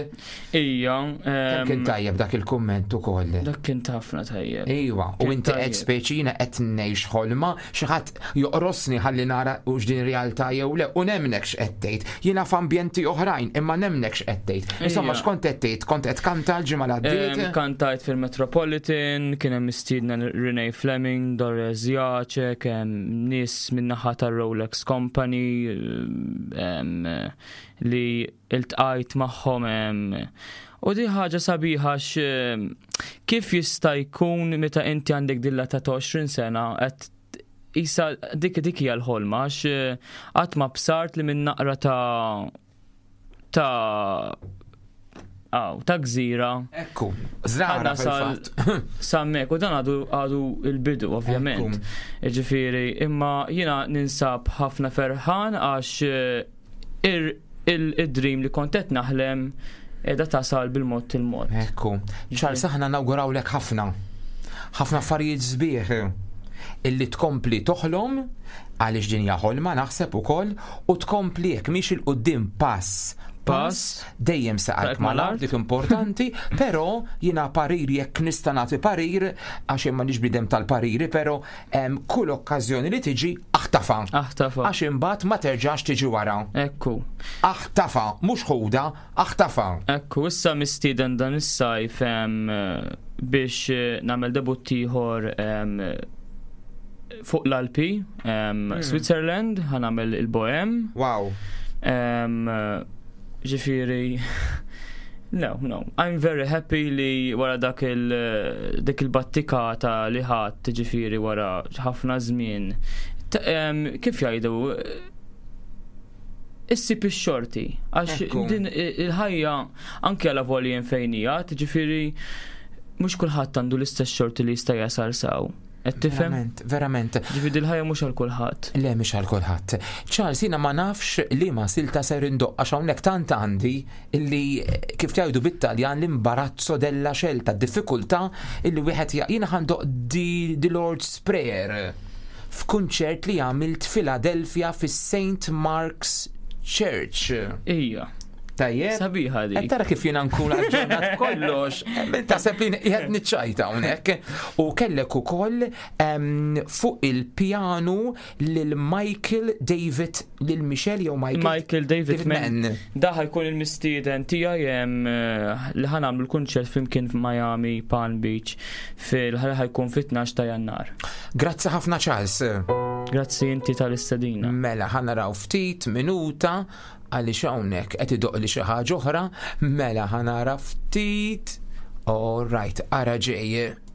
ija,
Kemm kien
em,
tajjeb dak il-kumment ukoll.
dak kien ħafna tajjeb.
Iwa, u
Kien
inti qed
tajjeb.
speċi jiena qed ngħix ħolma, xi ħadd joqrosni ħalli nara u x'din realtà jew le, u nemnek x'qed tgħid. Jiena f'ambjenti oħrajn, imma nemnek x'qed tgħid. Insomma,
Ija.
x'kont qed tgħid? Kont qed kanta l-ġimgħa li
Em,
għaddiet?
Kantajt fil-Metropolitan, kien hemm mistiedna Renee Fleming, Doris Jacek, em, nies min-naħa tar-Rolex Company em, li iltqajt magħhom em, U di ħaġa sabiħa x em, kif jista' jkun meta inti għandek dilla ta' 20 sena qed isa dik dik hija l-ħolma għax eh, qatt ma bsart li minn naqra ta' ta' aw, ta' gżira
Ekku, żrara
Għadna sal-
fil-fatt.
sammek u dan għadu għadu il-bidu ovvjament. Ġifieri, imma jiena ninsab ħafna ferħan għax eh, ir- il- id-dream li kont qed naħlem edha tasal bil-mod il-mod.
Ekku, Charles, aħna nawgurawlek ħafna. Ħafna affarijiet sbieħ illi tkompli toħlom għaliex din hija ħolma naħseb ukoll u tkompli jekk mhix il-qudiem pass pass dejjem saqajk
Saqajk
mal-art
mal-art.
dik importanti, però jiena parir jekk nista' nagħti parir għax jien m'għandix bidem tal-pariri, però em, kull okkażjoni li tiġi aħtafa.
Aħtafa.
Għax imbagħad ma terġax tiġi wara.
Ekku.
Aħtafa, mhux ħuda, aħtafa.
Ekku, issa mistieden dan is-sajf em, biex eh, nagħmel debut ieħor em, fuq l-Alpi, em, Switzerland, ħanamel il-Bohem.
Wow.
Em, Ġifieri, no, no, I'm very happy li wara dak il dik il-battikata li ħadd ġifieri wara ħafna żmien. Ta- em, Kif jgħidu? Issib ix-xorti, għax
Ekku.
din i- il-ħajja anke għal voljen fejn hija, ġifieri mhux kulħadd għandu l-istess xorti li jista' jasal saw. Qed tifhem?
Verament, verament.
Ġifieri dil-ħajja mhux għal kulħadd.
Le mhix għal kulħadd. Charles, jiena ma nafx li ma silta ser indoqq għax hawnhekk tant għandi illi kif tgħidu bit-Taljan l-imbarazzo della scelta, diffikultà illi wieħed jiena ħandoq di the Lord's Prayer f'kunċert li għamilt Philadelphia fis-St. Mark's Church.
Ija.
Tajjeb.
Sabiħa dik.
Qed tara kif jiena nkun aġġornat kollox. Taħseb li qiegħed niċċajta hawnhekk. U kellek ukoll fuq il-pjanu lil Michael David lil Michel jew Michael
Michael David Mann. Da ħajkun il-mistieden tiegħi eh, li ħanamlu l-kunċert flimkien f'Miami Palm Beach fil ħajkun fit-12 ta' Jannar.
Grazzi ħafna Charles.
Grazzi inti tal-istedina.
Mela ħanaraw ftit minuta għaliex hawnhekk qed idoq li xi ħaġa oħra, mela ħanara ftit. All right, ara ġej.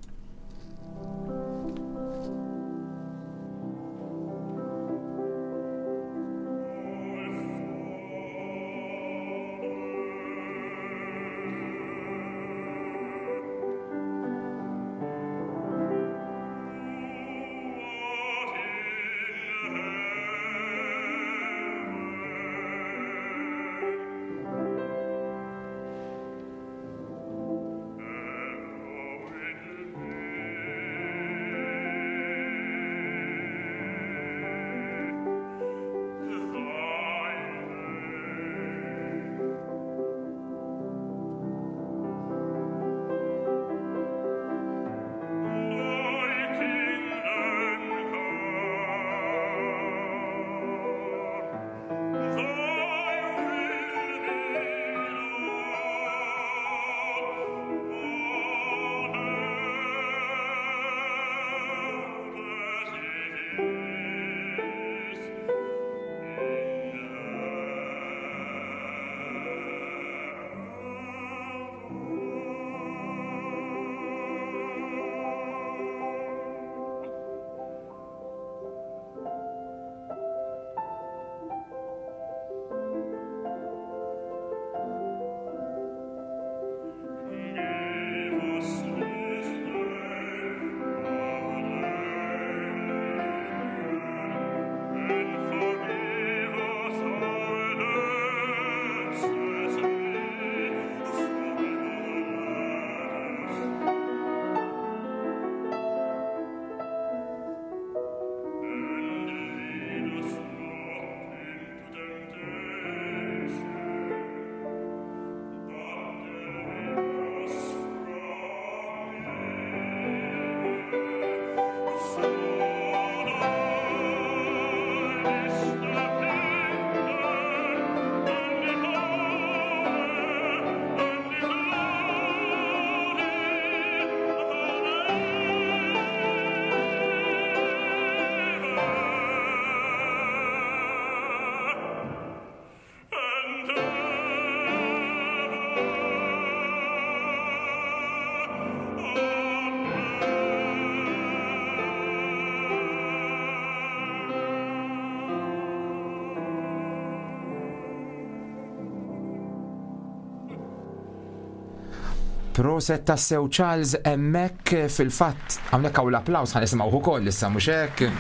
Proset tassew Charles hemmhekk fil-fatt hawnhekk hawn l-applaws ħa nisimgħuh ukoll issa mhux hekk.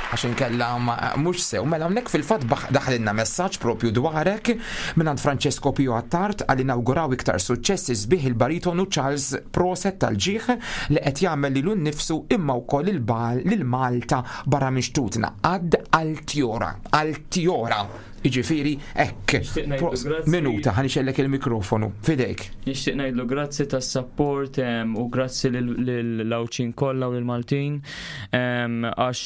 Għax inkella mhux sew, mela hawnhekk fil-fatt daħlilna messaġġ propju dwarek mingħand Francesco Pio Attard għal inawguraw iktar suċċessi sbieħ il-baritonu Charles Proset tal-ġieħ li qed jagħmel lilu nnifsu imma wkoll lil Malta barra minn xtutna. Għad Altiora, Altiora. Jiġifieri hekk. Minuta ħa nixellek il-mikrofonu f'idejk.
Nixtieq ngħidlu grazzi tas-sapport u grazzi lill-Għawdxin kollha u lill-Maltin għax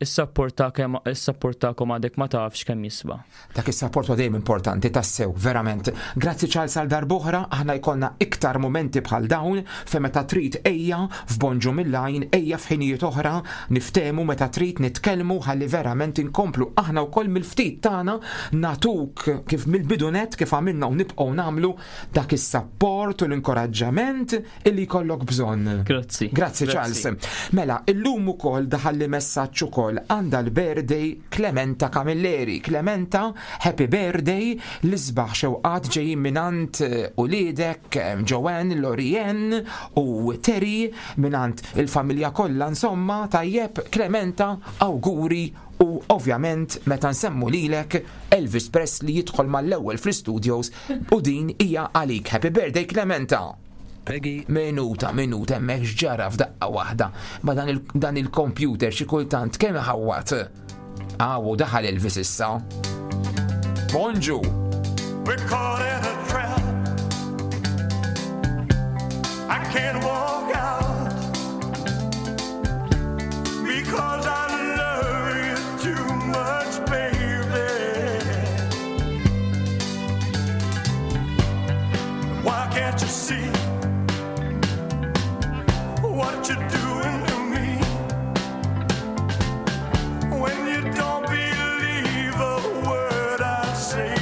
is-sapport is-sapport tagħkom għadek ma tafx kemm jiswa.
Dak is-sapport huwa dejjem importanti tassew, verament. Grazzi Charles għal darb'oħra, aħna jkollna iktar mumenti bħal dawn fejn meta trid ejja f'Bonġu mill-Għajn, ejja f'ħinijiet oħra, niftehmu meta trid nitkellmu ħalli verament inkomplu aħna wkoll mill-ftit tagħna nagħtuk kif mill-bidu nett kif għamilna u nibqgħu nagħmlu dak is-sapport u l-inkoraġġament illi jkollok bżonn.
Grazzi.
Grazzi Charles. Mela, illum ukoll daħalli messaġġ ukoll għandha l-birthday Clementa Camilleri. Clementa, happy birthday, l-isbaħ xewqat ġejjin mingħand uliedek Joanne, Lorien u Terry mingħand il-familja kollha insomma, tajjeb Clementa, awguri u ovvjament meta nsemmu lilek Elvis Presley jidħol mal-ewwel fl-istudios u din hija għalik. Happy birthday Clementa!
Peggy.
Minuta, minuta, hemmhekk x'ġara f'daqqa waħda ma dan il-computer xi kultant kemm iħawwad. Awu daħal Elvis issa. Bonġu!
We're caught in a trap. I can't walk out because I love you too much, baby. Why can't you see what you're doing to me? When you don't believe a word I say.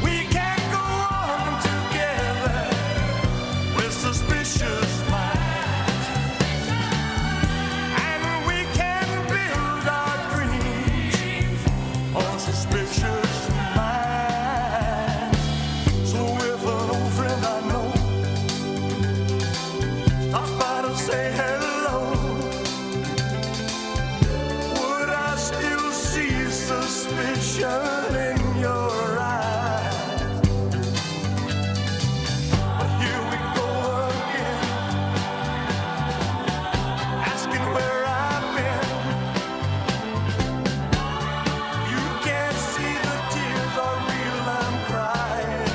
We can't go on together with suspicious minds, and we can build our dreams on suspicious minds. So if an old friend I know stops by to say hello, would I still see suspicion in your eyes? But here we go again, asking where I've been. You can't see the tears are real, I'm crying.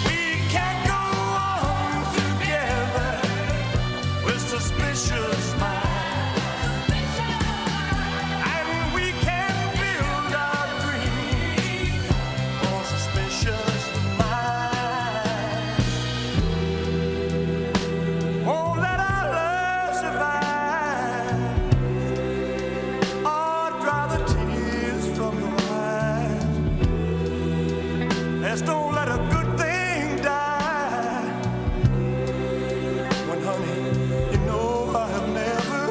We can't go on together with suspicious minds, and we can build our dreams on suspicious minds. Won't let our love survive or dry the tears from your eyes. Let's don't let a good thing die. When, honey, you know I have never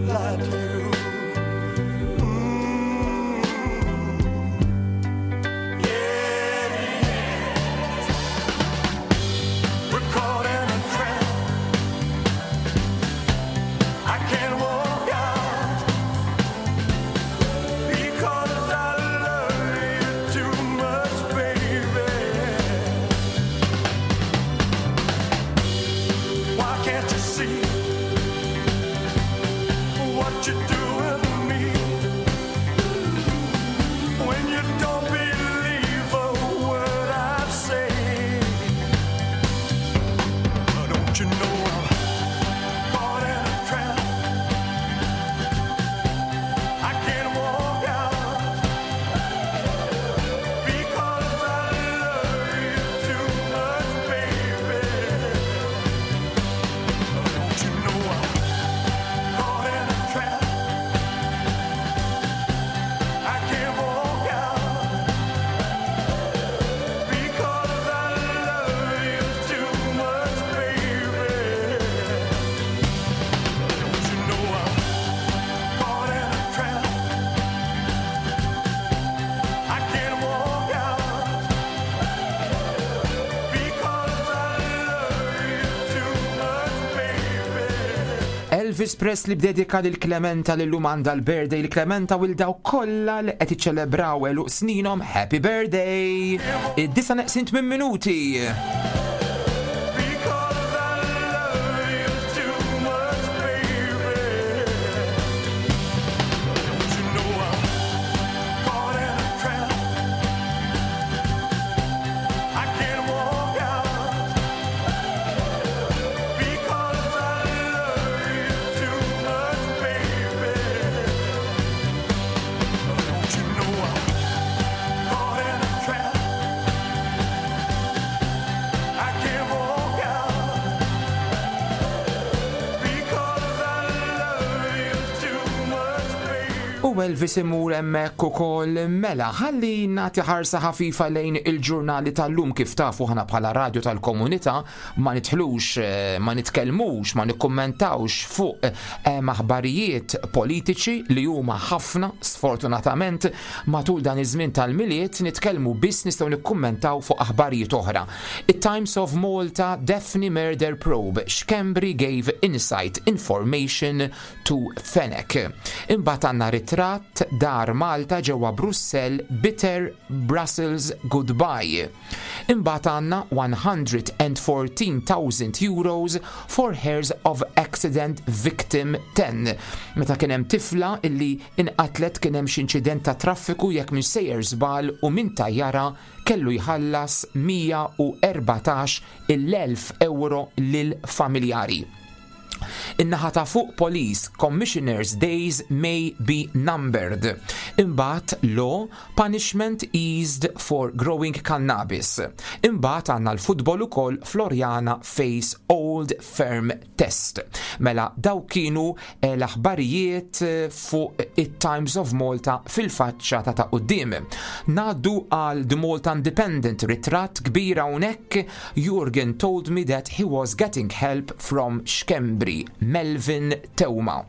lied to you. Yeah. We're caught in a trap. I can't walk out because I love you too much, baby. Why can't you see what you're doing to me? When you don't believe a word I say, don't you know I'm caught in a trap? I can't walk out because I love you too much, baby. Don't you know I'm caught in a trap? I can't walk out because I love you too much, baby. Don't you know I'm caught in a trap? I can't walk out because I love you too much, baby.
Elvis Presley b'dedika lil Clementa li llum għandha l-birthday li Clementa u dawk kollha li qed iċċelebraw għeluq sninhom Happy Birthday! Id-disa neqsin 8 minuti.
Because I love you too much, baby. Don't you know I'm caught in a trap? I can't walk out because I love you too much, baby. Don't you know I'm caught in a trap?
U Elvis imur hemmhekk ukoll mela ħalli nagħti ħarsa ħafifa lejn il-ġurnali tal-lum kif tafu ħana bħala radju tal-komunità ma nidħlux, eh, ma nitkellmux, ma nikkummentawx fuq eh, aħbarijiet politiċi li huma ħafna sfortunatament matul dan iż-żmien tal-Milied nitkellmu biss nistgħu nikkummentaw fuq aħbarijiet oħra. It-Times of Malta Daphne Murder Probe Schembri gave insight information to Fenech. Imbagħad għandna ritratt Dar Malta ġewwa Brussell Bitter Brussels Goodbye. Imbagħad għandna 114,000 euros for heirs of accident victim 10. Meta kien hemm tifla illi inqatlet kien hemm xi inċident ta' traffiku jekk minn sejjer żball u min tajjara kellu jħallas 114 il-elf euro lil familjari. In-naħa ta' fuq Police Commissioners Days may be numbered. Imbagħad law punishment eased for growing cannabis. Imbagħad għandna l-futbol ukoll Floriana face old firm test. Mela daw kienu eh, l-aħbarijiet eh, fuq it-Times of Malta fil-faċċata ta' quddiem. Ngħaddu għal The Malta Independent ritratt kbir hawnhekk Jurgen told me that he was getting help from Schembri, Melvin Theuma.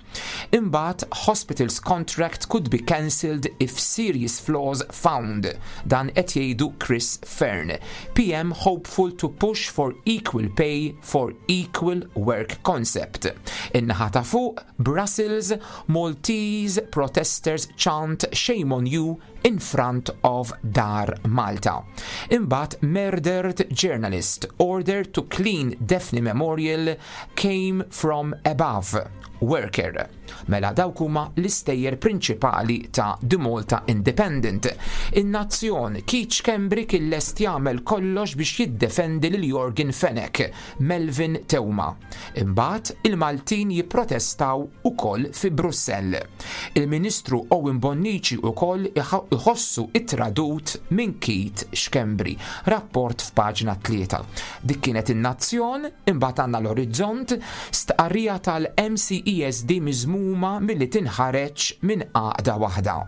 Imbagħad hospitals contract could be cancelled if serious flaws found. Dan qed jgħidu Chris Fearne. PM hopeful to push for equal pay for equal work concept. In-naħa ta' fuq, Brussels, Maltese protesters chant shame on you in front of Dar Malta. Imbagħad murdered journalist ordered to clean Daphne Memorial came from above. Worker. Mela dawk huma l-istejjer prinċipali ta' The Malta Independent. In-Nazzjon Keith Schembri kien lest jagħmel kollox biex jiddefendi lil Yorgen Fenech, Melvin Theuma. Imbagħad il-Maltin jipprotestaw ukoll fi Brussell. Il-Ministru Owen Bonnici ukoll iħossu ittradut minn Keith Schembri. Rapport f'paġna 3. Dik kienet in-Nazzjon, imbagħad għandna l-Orizzont, stqarrija tal-MCESD miżmuma milli tinħareġ minn għaqda waħda.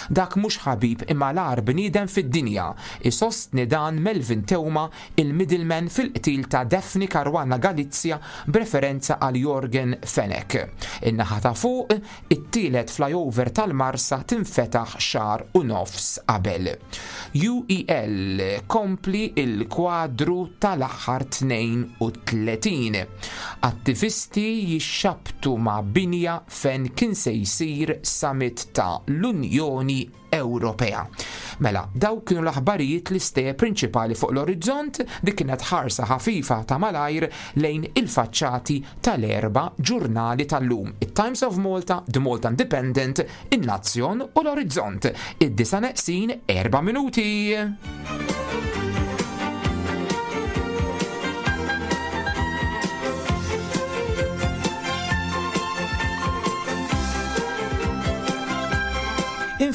Dak mhux ħabib imma l-agħar bniedem fid-dinja, isostni dan Melvin Theuma il-middleman fil-qtil ta' Daphne Caruana Galizia b'referenza għal Yorgen Fenech. In-naħa ta' fuq, it-tielet flyover tal-Marsa tinfetaħ xahar u nofs qabel. UEL kompli il-kwadru tal-aħħar 32. Attivisti jixxabtu ma' binja fejn kien se jsir summit ta' l-Unjoni Ewropea. Mela, daw kienu l-aħbarijiet l-istejjer prinċipali fuq l-orizzont, dik kienet ħarsa ħafifa ta' malajr lejn il-faċċati tal-erba' ġurnali tal-lum. It-Times of Malta, The Malta Independent, In-Nazzjon u l-Orizzont. Id-disa neqsin 4 minuti.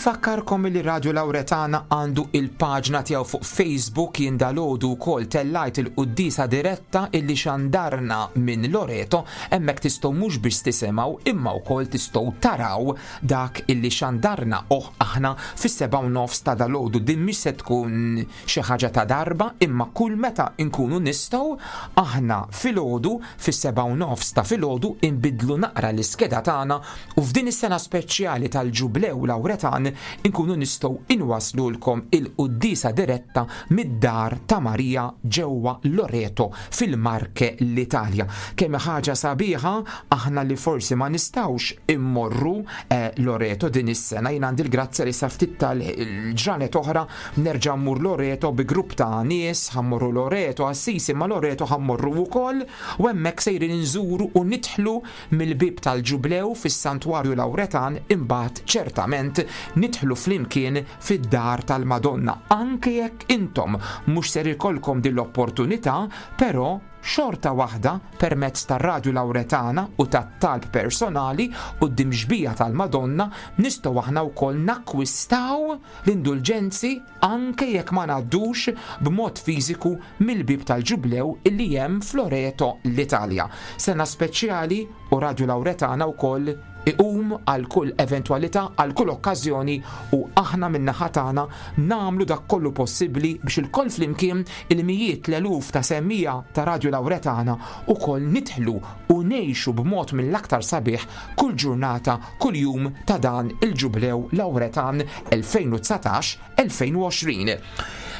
Infakkarkom li Radio Lauretana għandu il-paġna tiegħu fuq Facebook jien dalgħodu wkoll tellajt il-quddisa diretta illi xandarna minn Loreto hemmhekk tistgħu mhux biex tisimgħu imma wkoll tistgħu taraw dak illi xandarna oħ aħna fis-7:30 ta' dalgħodu din mhix se tkun xi ħaġa ta' darba imma kull meta nkunu nistgħu aħna filgħodu fis-7:30 ta' filgħodu inbidlu naqra l-iskeda tagħna u f'din is-sena speċjali tal-Ġublew Lawretan inkunu nistgħu inwaslulkom il-quddisa diretta mid-dar ta' Marija ġewwa Loreto fil-Marche l-Italja. Kemm ħaġa sabiħa aħna li forsi ma nistgħux immorru eh, Loreto din is-sena jien għandi l-grazzja li sa ftit tal-ġranet oħra nerġa' mmur Loreto bi grupp ta' nies ħa mmorru Loreto Assisi ma Loreto ħa mmorru wkoll u hemmhekk sejrin inżuru u nidħlu mill-bib tal-Ġublew fis-Santwarju Lawretan imbagħad ċertament nidħlu flimkien fid-dar tal-Madonna anke jekk intom mhux ser ikollkom din l-opportunità, però xorta waħda permezz tar-Radju Lawretana u tat-talb personali quddiem xbija tal-Madonna nistgħu aħna wkoll nakkwistaw l-indulġenzi anke jekk ma ngħaddux b'mod fiżiku mill-bib tal-Ġublew illi hemm f'Loreto l-Italja. Sena speċjali u Radio Lauretana wkoll iqum għal kull eventwalità, għal kull okkażjoni u aħna min-naħa tagħna nagħmlu dak kollu possibbli biex ilkoll flimkien il-mijiet l-eluf ta' semmiegħa ta' Radju Lawretana ukoll nidħlu u ngħixu b'mod mill-aktar sabiħ kull ġurnata, kull jum ta' dan il-Ġublew Lawretan 2019-2020.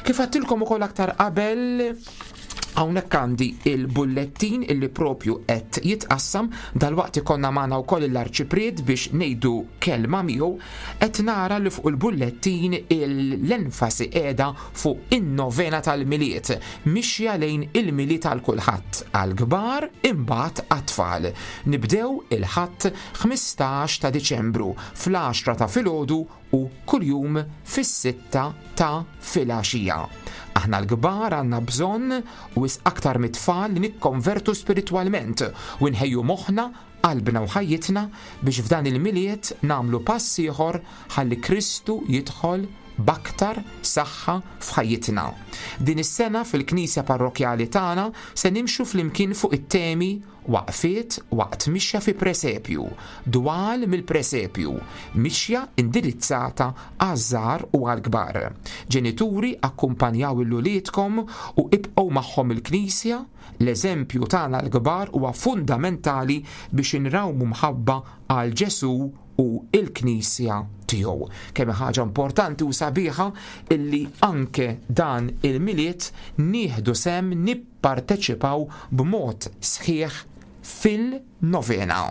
Kif għedtilkom ukoll aktar qabel, Hawnhekk għandi il-bullettin illi propju qed jitqassam, dalwaqt ikollna magħna wkoll l-Arċipriet biex ngħidu kelma miegħu, qed nara li fuq il-bullettin l-enfasi qiegħda fuq in-novena tal-Milied, mixja lejn il-Milied għal kulħadd, għall-kbar imbagħad għat-tfal. Nibdew il-Ħadd 15 ta' Diċembru fl-għaxra ta' filgħodu u kuljum fis-sitta ta' filgħaxija. Aħna l-kbar għandna bżonn, wisq aktar mit-tfal, li nikkonvertu spiritwalment u nħejju moħħna, qalbna u ħajjitna biex f'dan il-Milied nagħmlu pass ieħor ħalli Kristu jidħol b'aktar saħħa f'ħajjitna. Din is-sena fil-Knisja Parrokkjali tagħna se nimxu flimkien fuq it-temi Waqfiet waqt mixja fi presepju, dwal mill-presepju, mixja indirizzata għaż-żgħar u għall-kbar. Ġenituri akkumpanjaw 'l uliedkom u ibqgħu magħhom il-knisja, l-eżempju tagħna l-kbar huwa fundamentali biex inrawmu mħabba għal Ġesù u l-Knisja tiegħu. Kemm hi ħaġa importanti u sabiħa illi anke dan il-Milied nieħdu sehem nipparteċipaw b'mod sħiħ fil-novena.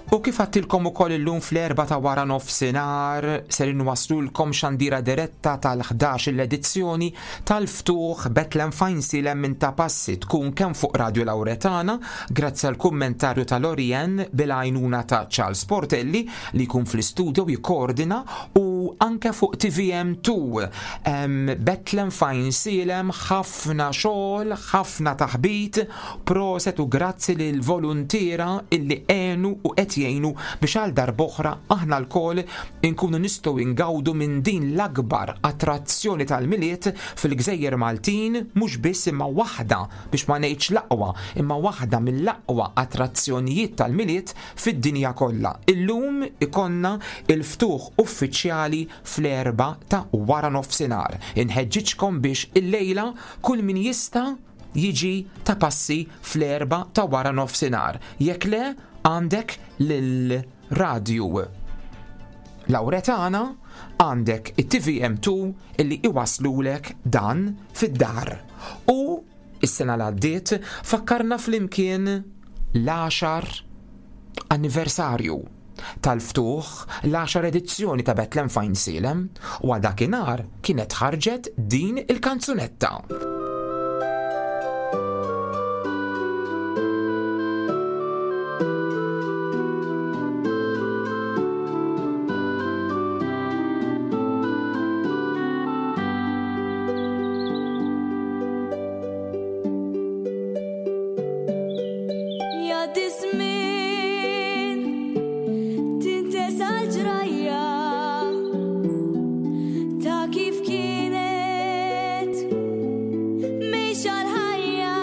U kif għattilkom ukoll illum fl-erba ta' wara nofsinhar ser inwaslulkom xandira diretta tal-11 l-edizzjoni tal-ftuħ Betlem Fajnsilem minn ta' passi tkun kemm fuq Radio Lauretana grazzi għal kummentarju ta' Lorien bil-għajnuna ta' Charles Portelli li jkun fl-istudio jikkoordina u anke fuq TVM2. Betlem Fajnsilem ħafna xogħol, ħafna taħbit, proset u grazzi lil voluntiera illi għenu u qed jgħinu biex għal darb'oħra aħna lkoll inkunu nistgħu ingawdu minn din l-akbar attrazzjoni tal-Milied fil-gżejjer Maltin, mhux biss imma waħda, biex ma ngħidx l-aqwa, imma waħda mill-aqwa attrazzjonijiet tal-Milied fid-dinja kollha. Illum ikollna l-ftuħ uffiċjali fl-erbgħa ta' waranofsinhar. Inħeġġiġkom biex illejla kull min jista' jiġi ta' passi fl-erbgħa ta' waranofsinhar. Jekk le, għandek lil Radju Lawretana, għandek it-TVM2 illi iwaslulek dan fid-dar. U is-sena l-għaddiet fakkarna flimkien l-għaxar anniversarju tal-ftuħ l-għaxar edizzjoni ta' Betlem Fajnsielem u għal dakinhar kienet ħarġet din il-kanzunetta.
Jgħaddi żmien tintesa l-ġrajja ta' kif kienet mejxa l-ħajja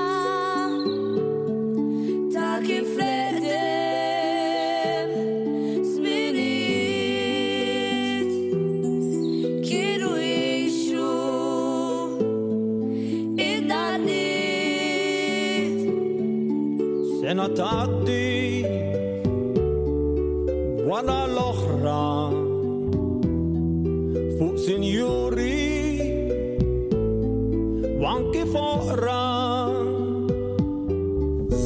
ta' kif l-eqdem żminijiet kienu jgħixu in-nanniet.
Sena tgħaddi wara l-oħra fuq sinjuri u anki foqra.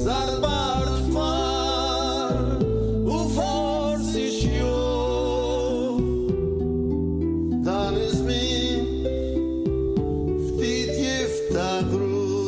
Żarbar tfal u forsi xjuħ.
Dan iż-żmien ftit jiftakruh.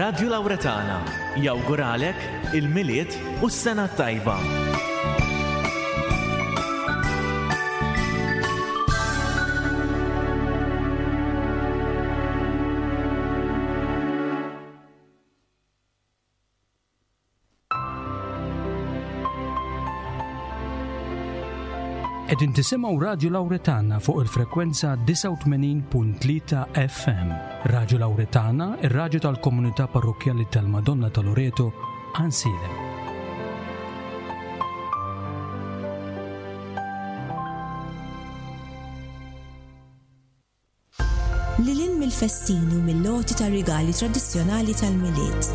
Radju Lawretana jawguralek il-Milied u s-Sena t-Tajba.
Qegħdin tisimgħu Radju Lawretana fuq il-frekwenza 89.3 FM. Radju Lawretana, ir-radju tal-komunità parrokkjali tal-Madonna ta' Loreto, Għansielem.
Lil hinn mill-festini u mill-għoti ta' rigali tradizzjonali tal-Milied.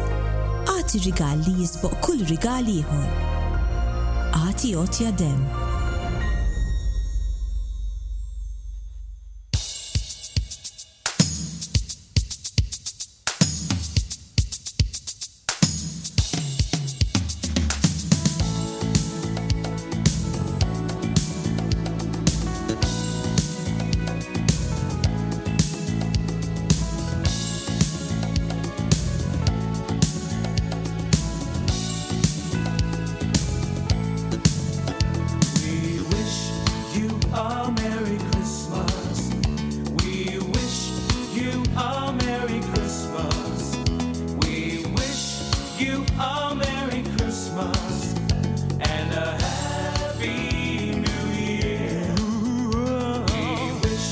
Agħti rigal li jisboq kull rigal ieħor. Agħti għotja demm.
We wish you a Merry Christmas. We wish you a Merry Christmas. We wish you a Merry Christmas and a Happy New Year. We wish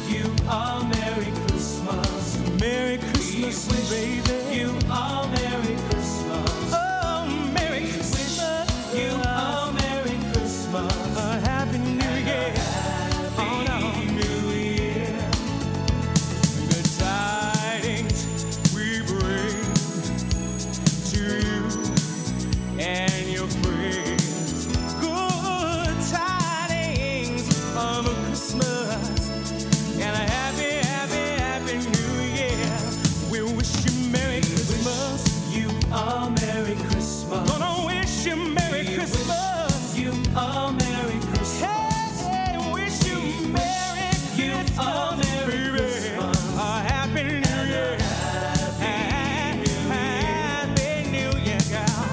you a Merry Christmas. Merry Christmas, baby. You a Merry Christmas. Oh, Merry Christmas. You a Merry Christmas. A Happy New Year. Happy New Year. Good tidings we bring to you and your friends. Good tidings of a Christmas and a happy, happy, happy New Year. We wish you Merry Christmas. You a Merry Christmas. Gonna wish you Merry Christmas. You a Merry Christmas. Hey, wish you Merry Christmas. Merry Christmas. A Happy New Year. Happy, Happy New Year, girl.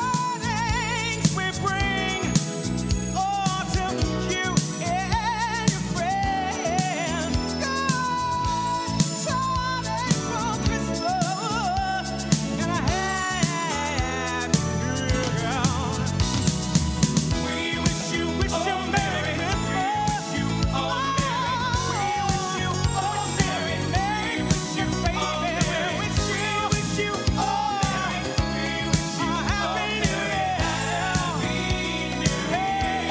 Tidings we bring, oh, to you and your friends. Good tidings for Christmas and a happy New Year. We wish you, wish you Merry Christmas. You a Merry, we wish you a Merry, Merry, wish you, baby. We wish you, wish you a Merry, we wish you a Happy New Year. Happy New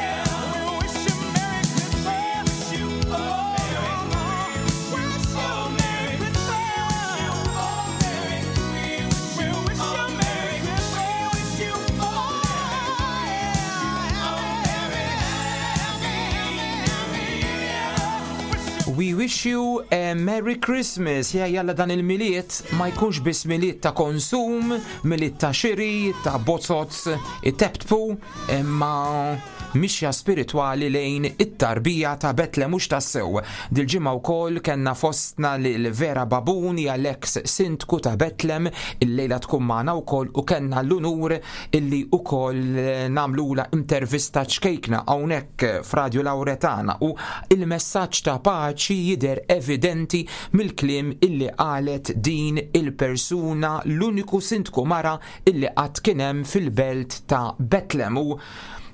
Year. We wish you Merry Christmas. Wish you a Merry, we wish you a Merry Christmas. We wish you a Merry, we wish you a
We wish you a Merry Christmas. Ja jalla dan il-miliet ma jkunx biss miliet ta' konsum, miliet ta' xiri, ta' bozots, it-teptpu, imma mixja spiritwali lejn it-tarbija ta' Betlem mhux tassew. Dil-ġimgħa wkoll kellna fostna lil Vera Babun hija l-eks sindku ta' Betlem illejla tkun magħna wkoll u kellna l-unur illi wkoll nagħmlula intervista ċkejkna hawnhekk f'Radju Lawretana u il-messaġġ ta' paċi jidher evidenti mill-kliem illi qalet din il-persuna l-uniku sindku mara illi qatt kien hemm fil-belt ta' Betlem u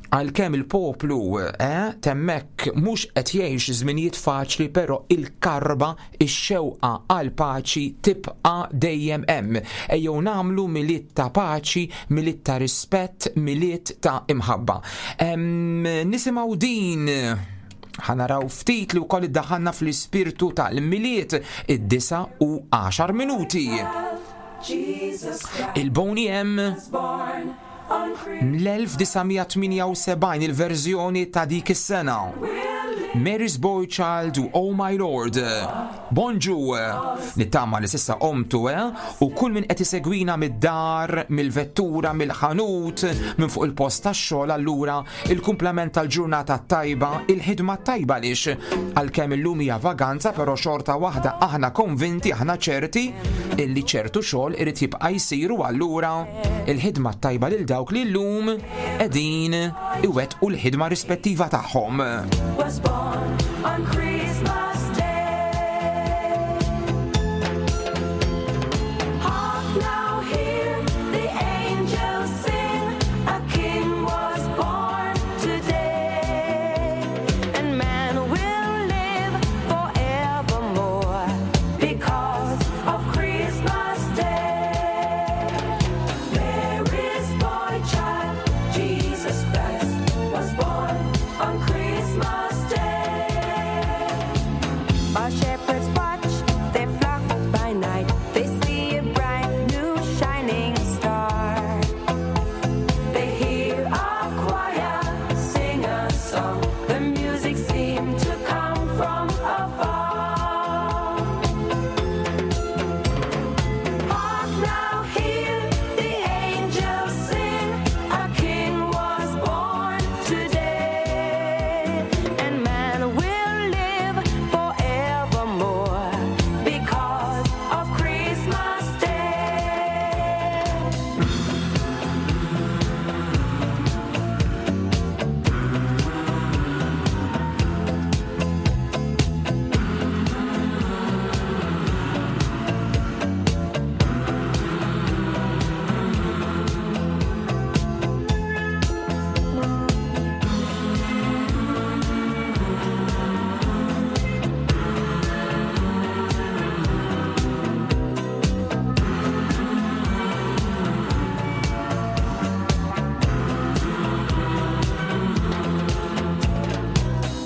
għalkemm il-poplu eh, temmek mhux qed jgħix żminijiet faċli però il-karba ix-xewqa għal paċi tibqa' dejjem hemm. Ejjew nagħmlu milied ta' paċi, milied ta' rispett, milied ta' imħabba. Em, Nisimgħu din. Ħa naraw ftit li wkoll iddaħħalna fl-ispirtu tal-Milied id-9 u 10 minuti. Il-Boney M l-1978 il-verżjoni ta' dik is-sena. Mary's Boy Child u Oh My Lord. Bonġu! Nittama li sissa omtu, eh? U kull min qed isegwina mid-dar, mill-vettura, mill-ħanut, minn fuq il-post tax-xogħol allura Il-kumplament tal-ġurnata t-tajba, il-ħidma t-tajba għaliex għalkemm illum hija vaganza però xorta waħda aħna konvinti, aħna ċerti illi ċertu xogħol irid jibqa' jsir u allura il-ħidma t-tajba lil dawk li llum qegħdin iwettqu l-ħidma rispettiva tagħhom.
Was born on Christmas Day. Hark now, hear the angels sing, a king was born today, and man will live forevermore because of Christmas Day. Mary's boy child, Jesus Christ, was born on Christmas Day. While shepherds watch their flock by night, they see a bright new shining star. They hear a choir sing a song. The music seemed to come from afar. Hark now, hear the angels sing. A king was born today, and man will live forevermore because of Christmas Day.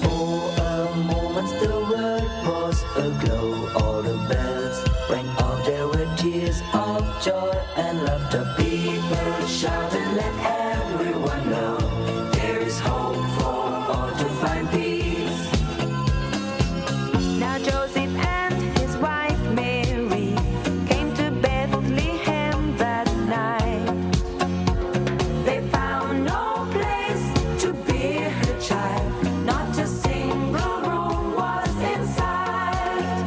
For a moment the world was aglow, all the bells rang out, there were tears of joy and laughter. People shouted, let everyone know there is hope for all to find peace.
Now Joseph and his wife Mary came to Bethlehem that night. They found no place to bear her child, not a single room was in sight.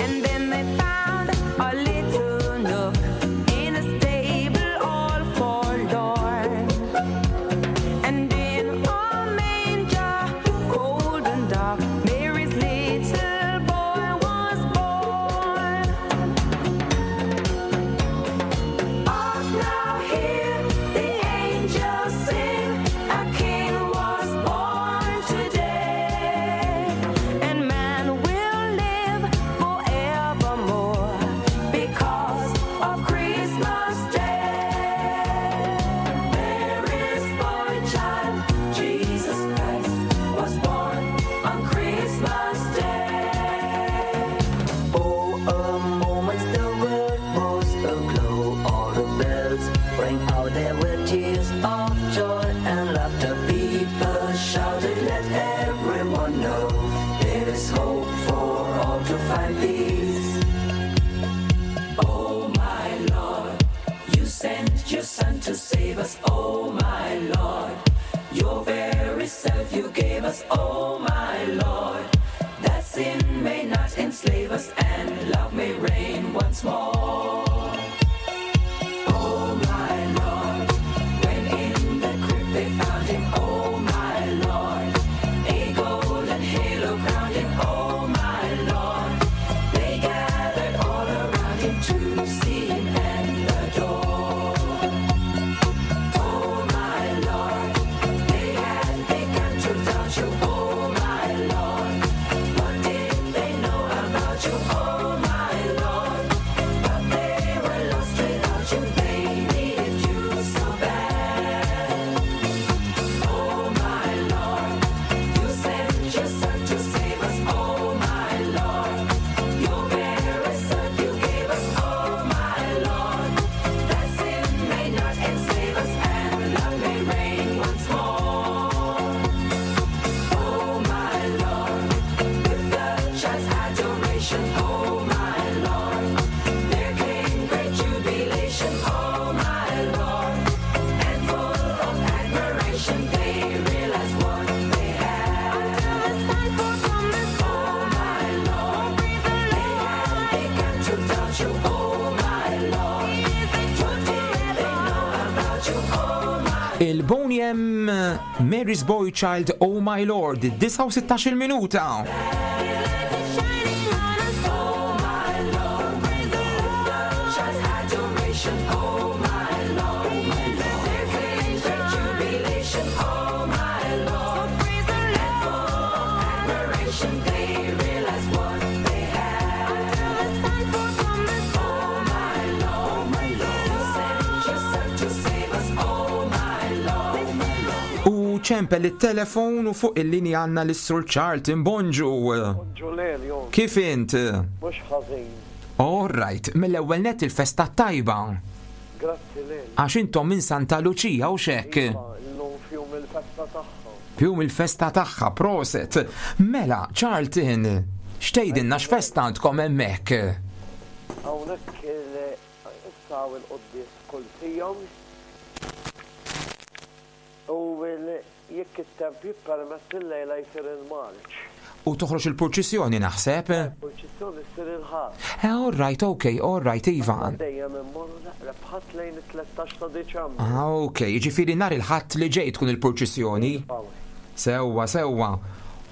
And then they found a little nook in a stable all forlorn. And in a manger, cold and dark, Mary's little boy was born. Hark now, hear the angels sing, a king was born today, and man will live forevermore because of Christmas Day. Mary's boy child, Jesus Christ, was born on Christmas Day.
For a moment the world was aglow, all the bells rang out, there were tears of joy and laughter. People shouted, let everyone know there is hope for all to find peace.
Oh my Lord, you sent your son to save us. Oh my Lord, your very self you gave us. Oh my Lord, that sin may not enslave us and love may reign once more. Oh my Lord, when in the crypt they found him. Oh my Lord, a golden halo crowned him. Oh my Lord, they gathered all around him to see him and adore. Oh my Lord, they had begun to doubt you. Oh
Il-Boney M Mary's Boy Child Oh My Lord, 69 minuta. U ċempel it-telefon u fuq il-linja għandna lis-Sur Charlton Bonġu.
Bonġu Lelio.
Kif int?
Mhux ħażin.
All right, mill-ewwel nett il-festa t-tajba.
Grazzi Lelio.
Għax intom minn Santa Luċija u x'hekk?
Iva, illum f'jum il-festa tagħha.
F'jum il-festa tagħha, proset. Mela, Charlton, x'tgħidilna x'festa għandkom hemmhekk?
Hawnhekk issa hawn il-quddies kull siegħa u jekk it-temp jippermetti llejla jsir il-marċ.
U toħroġ il-purċissjoni naħseb?
Il-purċissjoni ssir il-Ħadd.
Eh, all right, ok, all right, iva.
Aħna dejjem immorru l-eqreb Ħadd lejn it-13 ta' Diċembru.
Ah, ok, jiġifieri nhar il-Ħadd li ġej tkun il-purċissjoni?
Iva.
Sewwa, sewwa.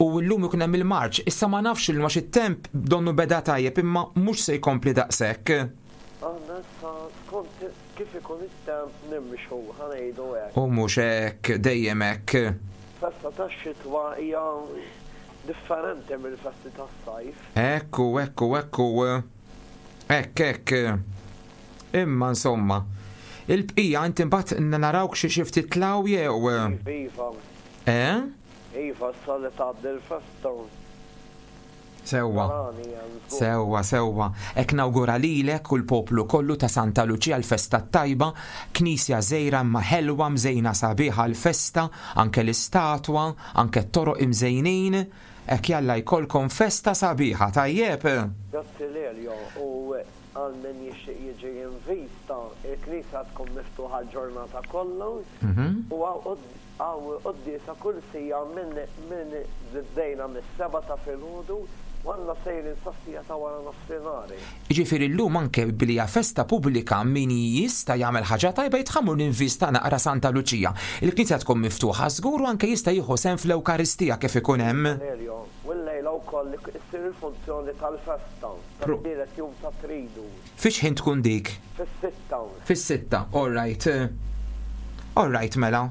U llum ikun hemm il-marċ. Issa ma nafx illum għax it-temp donnu beda tajjeb imma mhux se jkompli daqshekk.
Aħna issa skont kif ikun it-temp nimxu, ħa ngħidu hekk.
U mhux hekk, dejjem hekk.
Festa tax-xitwa hija differenti mill-festi tas-sajf.
Hekk hu, hekk hu, hekk hu. Hekk, hekk. Imma insomma. Il-bqija inti mbagħad narawk xi xi ftit tlaw jew.
Iva, iva.
Eh?
Iva, issa li tgħaddi l-festa.
Sewwa. Sewwa, sewwa. Hekk nawgura lilek u l-poplu kollu ta' Santa Luċija l-festa t-tajba, knisja żgħira imma ħelwa mżejna sabiħ għall-festa, anke l-istatwa, anke t-toroq imżejnin. Hekk jalla jkollkom festa sabiħa, tajjeb?
Grazzi Lelio u għal min jixtieq jiġi jinvista, il-knisja tkun miftuħa l-ġurnata kollha u Hawn quddiesa kull siegħa minn minn bdejna mis-sebgħa ta' filgħodu u għandna sejrin sas-siegħa ta' wara nofsinhar.
Jiġifieri llum anke billi hija festa pubblika min jista' jagħmel ħaġa tajba jitħa mmur ninvista naqra Santa Luċija. Il-knisja tkun miftuħa żgur u anke jista' jieħu sehem fl-Ewkaristija kif ikun hemm.
Cornelio, U llejla wkoll issir il-funzjoni tal-festa, tat-tielet jum tat-Tridu.
Fi x'ħin tkun dik?
Fis-sitta.
Fis-sitta, all right. All right mela.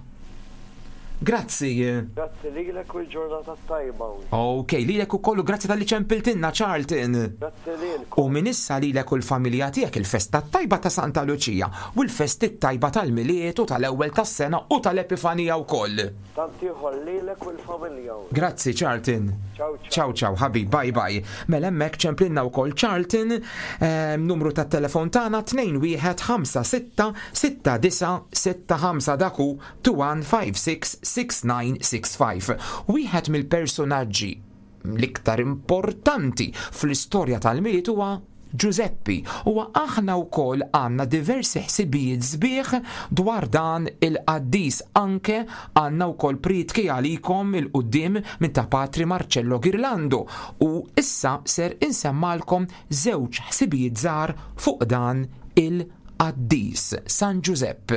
Grazzi.
Grazzi lilek u l-ġurnata t-tajba.
Ok, lilek ukoll u grazzi talli ċempiltilna Charlton.
Grazzi lilkom.
U minn issa lilek u l-familja tiegħek il-festa t-tajba ta' Santa Luċija u l-festi t-tajba tal-Milied u tal-Ewwel tas-Sena u tal-Epifanija wkoll.
Tant ieħor lilek u l-familja.
Grazzi Charlton.
Ciao ciao.
Ciao ciao ħabib, bye bye. Mela hemmhekk ċemplinna wkoll Charlton, ehm, numru tat-telefon tagħna 21566965 dak hu 21566965. Wieħed mill-personaġġi l-iktar importanti fl-istorja tal-Milied huwa Ġużeppi, u aħna wkoll għandna diversi ħsibijiet sbieħ dwar dan il-qaddis, anke għandna wkoll prietki għalikom 'il quddiem minn ta' Patri Marcello Ghirlando, u issa ser insemmalkom żewġ ħsibijiet żgħar fuq dan il-qaddis, San Ġużepp.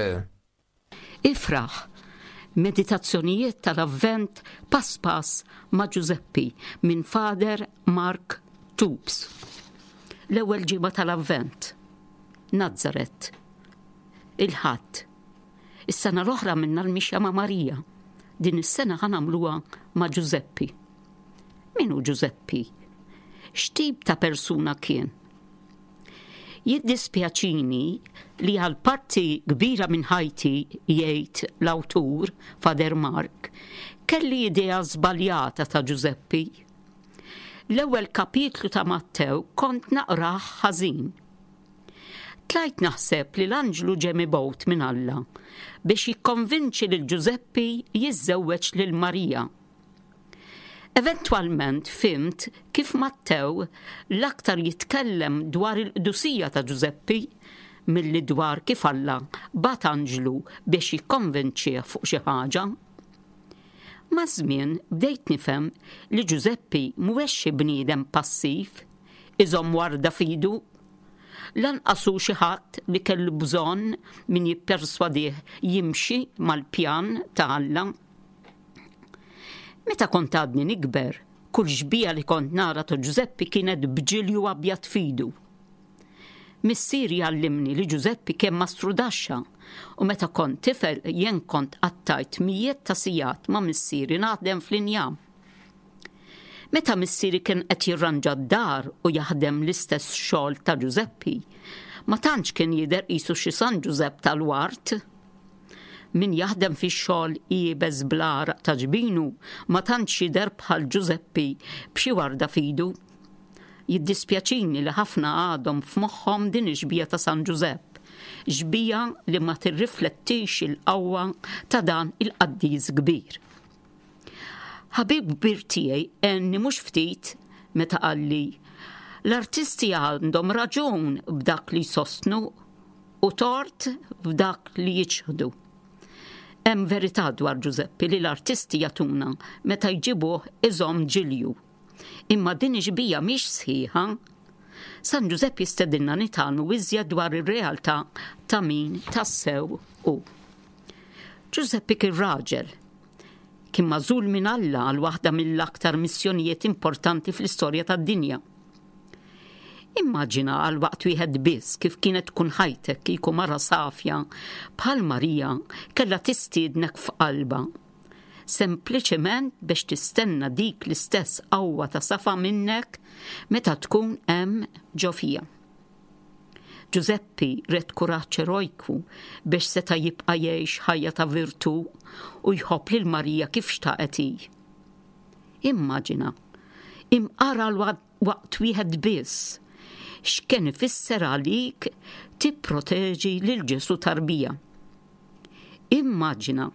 Ifraħ! Meditazzjonijiet tal-Avvent pass pass ma' Ġużeppi minn Father Mark Toups. L-ewwel ġimgħa tal-Avvent. Nazaret. Il-Ħadd. Is-sena l-oħra għamilna l-mixja ma' Marija. Din is-sena ħa nagħmluha ma' Ġużeppi. Min hu Ġużeppi? X'tip ta' persuna kien? Jiddispjaċini li għal parti kbira minn ħajti, jgħid l-awtur, Father Mark, kelli idea żbaljata ta' Ġużeppi. L-ewwel kapitlu ta' Mattew kont naqrah ħażin. Tlajt naħseb li l-anġlu ġie mibgħut minn Alla biex jikkonvinċi lil Ġużeppi jiżżewweġ lil Marija. Eventwalment fhimt kif Mattew l-aktar jitkellem dwar il-qdusija ta' Ġużeppi milli dwar kif Alla bagħat anġlu biex jikkonvinċih fuq xi ħaġa. Maż-żmien bdejt nifhem li Ġużeppi mhuwiex xi bniedem passiv, iżomm warda f'idu. Lanqas hu xi ħadd li kellu bżonn min jipperswadih jimxi mal-pjan ta' Alla. Meta kont għadni nikber, kull xbieha li kont nara ta' Ġużeppi kienet b'ġilju abjad f'idu. Missieri għallimni li Ġużeppi kien mastrudaxxa u meta kont tifel jien kont qattajt mijiet ta' sigħat ma' missieri naħdem fl-injam. Meta missieri kien qed jirranġa d-dar u jaħdem l-istess xogħol ta' Ġużeppi, ma tantx kien jidher qisu xi San Ġużepp tal-ward. Min jaħdem fix-xogħol iebes bl-għaraq ta' ġbinu ma tantx jidher bħal Ġużeppi b'xi warda f'idu. Jiddispjaċini li ħafna għadhom f'moħħhom din ix-xbieha ta' San Ġużepp, xbieha li ma tirriflettix il-qawwa ta' dan il-qaddis kbir. Ħabib kbir tiegħi għenni mhux ftit meta qalli, L-artisti għandhom raġun b'dak li jsostnu u tort f'dak li jiċħdu. Hemm verità dwar Ġużeppi li l-artisti jagħtuna meta jġibuh iżomm ġilju. Imma din ix-xbieha mhix sħiħa. San Ġużepp jistedinna nitgħallmu iżjed dwar ir-realtà ta' min tassew hu. Ġużeppi kien raġel. Kien magħżul minn Alla għal waħda mill-aktar missjonijiet importanti fl-istorja tad-dinja. Immaġina għal waqt wieħed biss kif kienet tkun ħajtek kieku mara safja bħal Marija kellha tistiednek f'qalbha. Sempliċement biex tistenna dik l-istess qawwa ta' safa minnek meta tkun hemm ġo fiha. Ġużeppi red kuraġġ erojku biex seta' jibqa' jgħix ħajja ta' virtù u jħobb lil Marija kif xtaqet hi. Immaġina, imqar għal waqt wieħed biss, x'kien ifisser għalik tipproteġi lil Ġesù tarbija. Immaġina,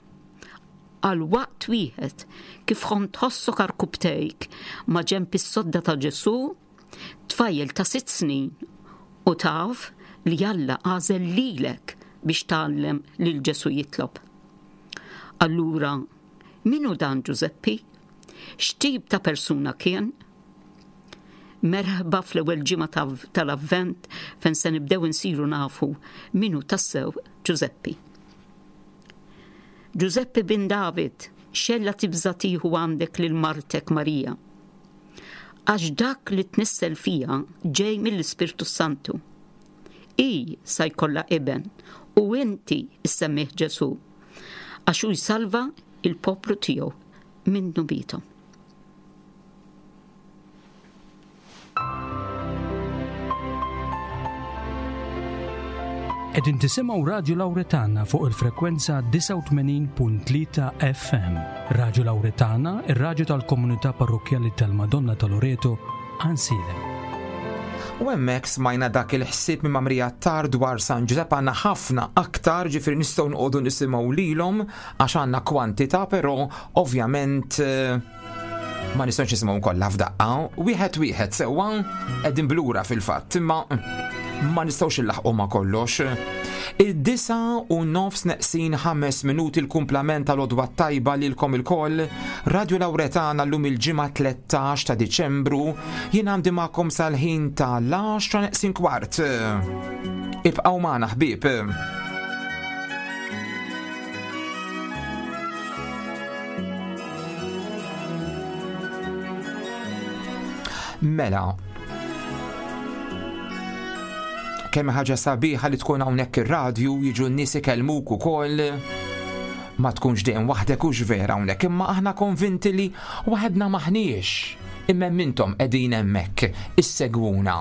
għal waqt wieħed, kif kont tħossok għarkupptejk maġenb is-sodda ta' Ġesù Tfajjel ta' sitt snin u taf li Alla għażel lilek biex tgħallem lil Ġesù jitlob. Allura, min hu dan Ġużeppi? X'tip ta' persuna kien? Merħba fl-ewwel ġimgħa tal-Avvent fejn se nibdew insiru nafu min hu tassew Ġużeppi. Ġużeppi bin David, xella tibża' tieħu għandek lil martek Marija. Għax dak li tnissel fiha ġej mill-Ispirtu s-Santu. Hi sa jkollha iben u inti ssemmih Ġesù, għax hu jsalva l-poplu tiegħu minn dnubiethom.
Qegħdin tisimgħu Radju Lawretana fuq il-frekwenza 89.3 FM. Radju Lawretana, ir-radju tal-komunità parrokkjali tal-Madonna ta' Loreto, Għansielem.
U hemmhekk smajna dak il-ħsieb minn Mamrija Attar dwar San Ġużepp għandna ħafna aktar ġifieri nistgħu nqogħdu nisimgħu lilhom għax għandna kwantità però ovvjament eh, Ma nistgħux nisimgħu kollha f'daqqa, wieħed wieħed sewwa qegħdin blura fil-fatt, imma ma nistgħux illaħqu ma' kollox. Id-disa u nofs neqsin ħames minuti l-kumplament tal-odwa tajba lilkom ilkoll, Radio Lawretana llum il-ġimgħa 13 ta' Diċembru, jien għandi magħkom sal-ħin ta' l-10 neqsin kwart. Ibqgħu magħna ħbieb. Mela, kemm ħaġa sabiħa li tkun hawnhekk ir-radju jiġu n-nies ikellmuk ukoll ma tkunx dejjem waħdek hux vera hawnhekk, imma aħna konvinti li waħedna maħniex. Imma intom qegħdin hemmhekk issegwuna.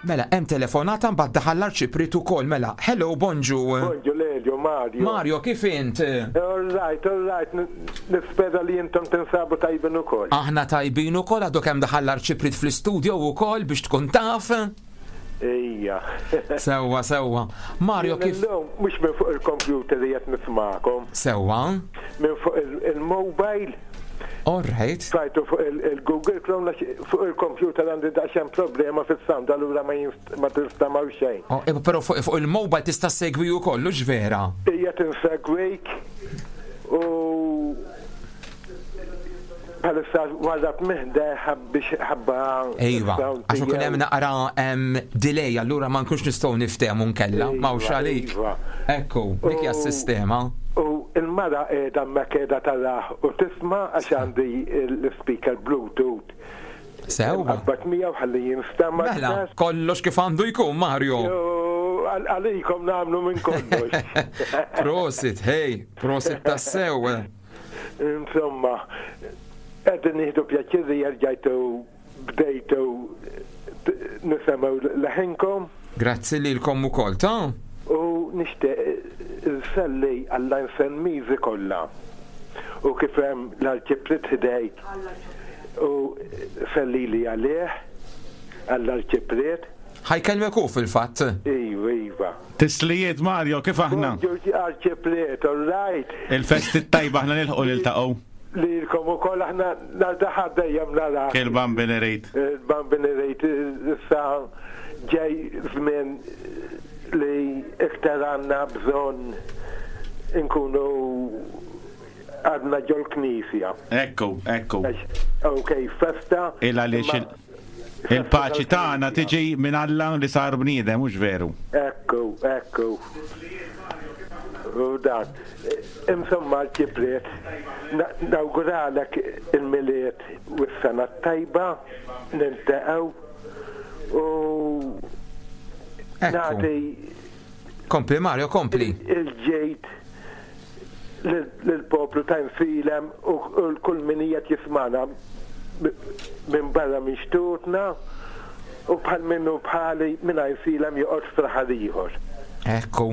Mela, hemm telefonata mbagħad daħal l-arċipriet ukoll. Mela, hello, bonġu.
Bonġu Lelio, Mario.
Mario, kif int?
All right, all right, nispera li intom tinsabu tajbin ukoll.
Aħna tajbin ukoll għadu kemm daħal l-arċipriet fl-istudio ukoll biex tkun taf.
Ejja.
Sewwa, sewwa. Mario kif.
Illum mhux minn fuq il-computer li qed nismakom.
Sewwa.
Minn fuq il-mobile.
All right.
Fajtu fuq il-Google Chrome għax fuq il-computer għandi daqsxejn problema fis-sound allura ma ma tinstamaw xejn.
Oh, eh, però fuq il-mobile tista' segwi wkoll, hux vera?
Ija tinsegwik u bħalissa warrab miħda biex ħabba.
Ejwa, għax ikun hemm naqra delay, allura ma nkunx nistgħu niftehmu nkella, ma hux għalik. Iva. Ekku, dik hija s-sistema.
U il-mara qiegħda hemmhekk qiegħda tarah u tisma' għax għandi l-speaker Bluetooth.
Sewwa.
Qabbat miegħu ħalli jinstema'.
Mela, kollox kif għandu jkun, Mario.
Għalikom nagħmlu minn kollox.
Prosit, hey, prosit tassew.
Insomma, qegħdin nieħdu pjaċir li erġajtu bdejtu nisemgħu leħinkom.
Grazzi lilkom ukoll, ta.
U nixtieq inselli għall-Għajnselmiżi kollha u kif hemm l-Arċipriet ħdejk u sellili għalih, għall-Arċipriet.
Ħa jkellmek hu fil-fatt.
Iva, iva.
Tislijiet Mario, kif aħna?
Bonġu Arċipriet, all right?
Il-festi t-tajba aħna nilħqu niltaqgħu.
Lilkom ukoll aħna nhar ta' Ħadd dejjem narak.
Il-Bambin irid.
Il-Bambin irid issa ġej żmien li iktar għandna bżonn inkunu għadna ġol-knisja.
Ekku, ekku.
Ok, festa.
Il għaliex Il-paċi tagħna tiġi minn Alla li sar bniedem, mhux veru?
Ekku, ekku. U dan. Insomma, l-ċipriet, nawguralek il-Milied u s-sena t-tajba, niltaqgħu u nagħti.
Kompli Mario, kompli.
Il-ġejt lill-poplu ta' Għajnsielem u l-kull min qiegħed jismagħna minn barra minn xtutna u bħal min hu bħali minn Għajnsielem joqgħod f'raħal ieħor.
Ekku.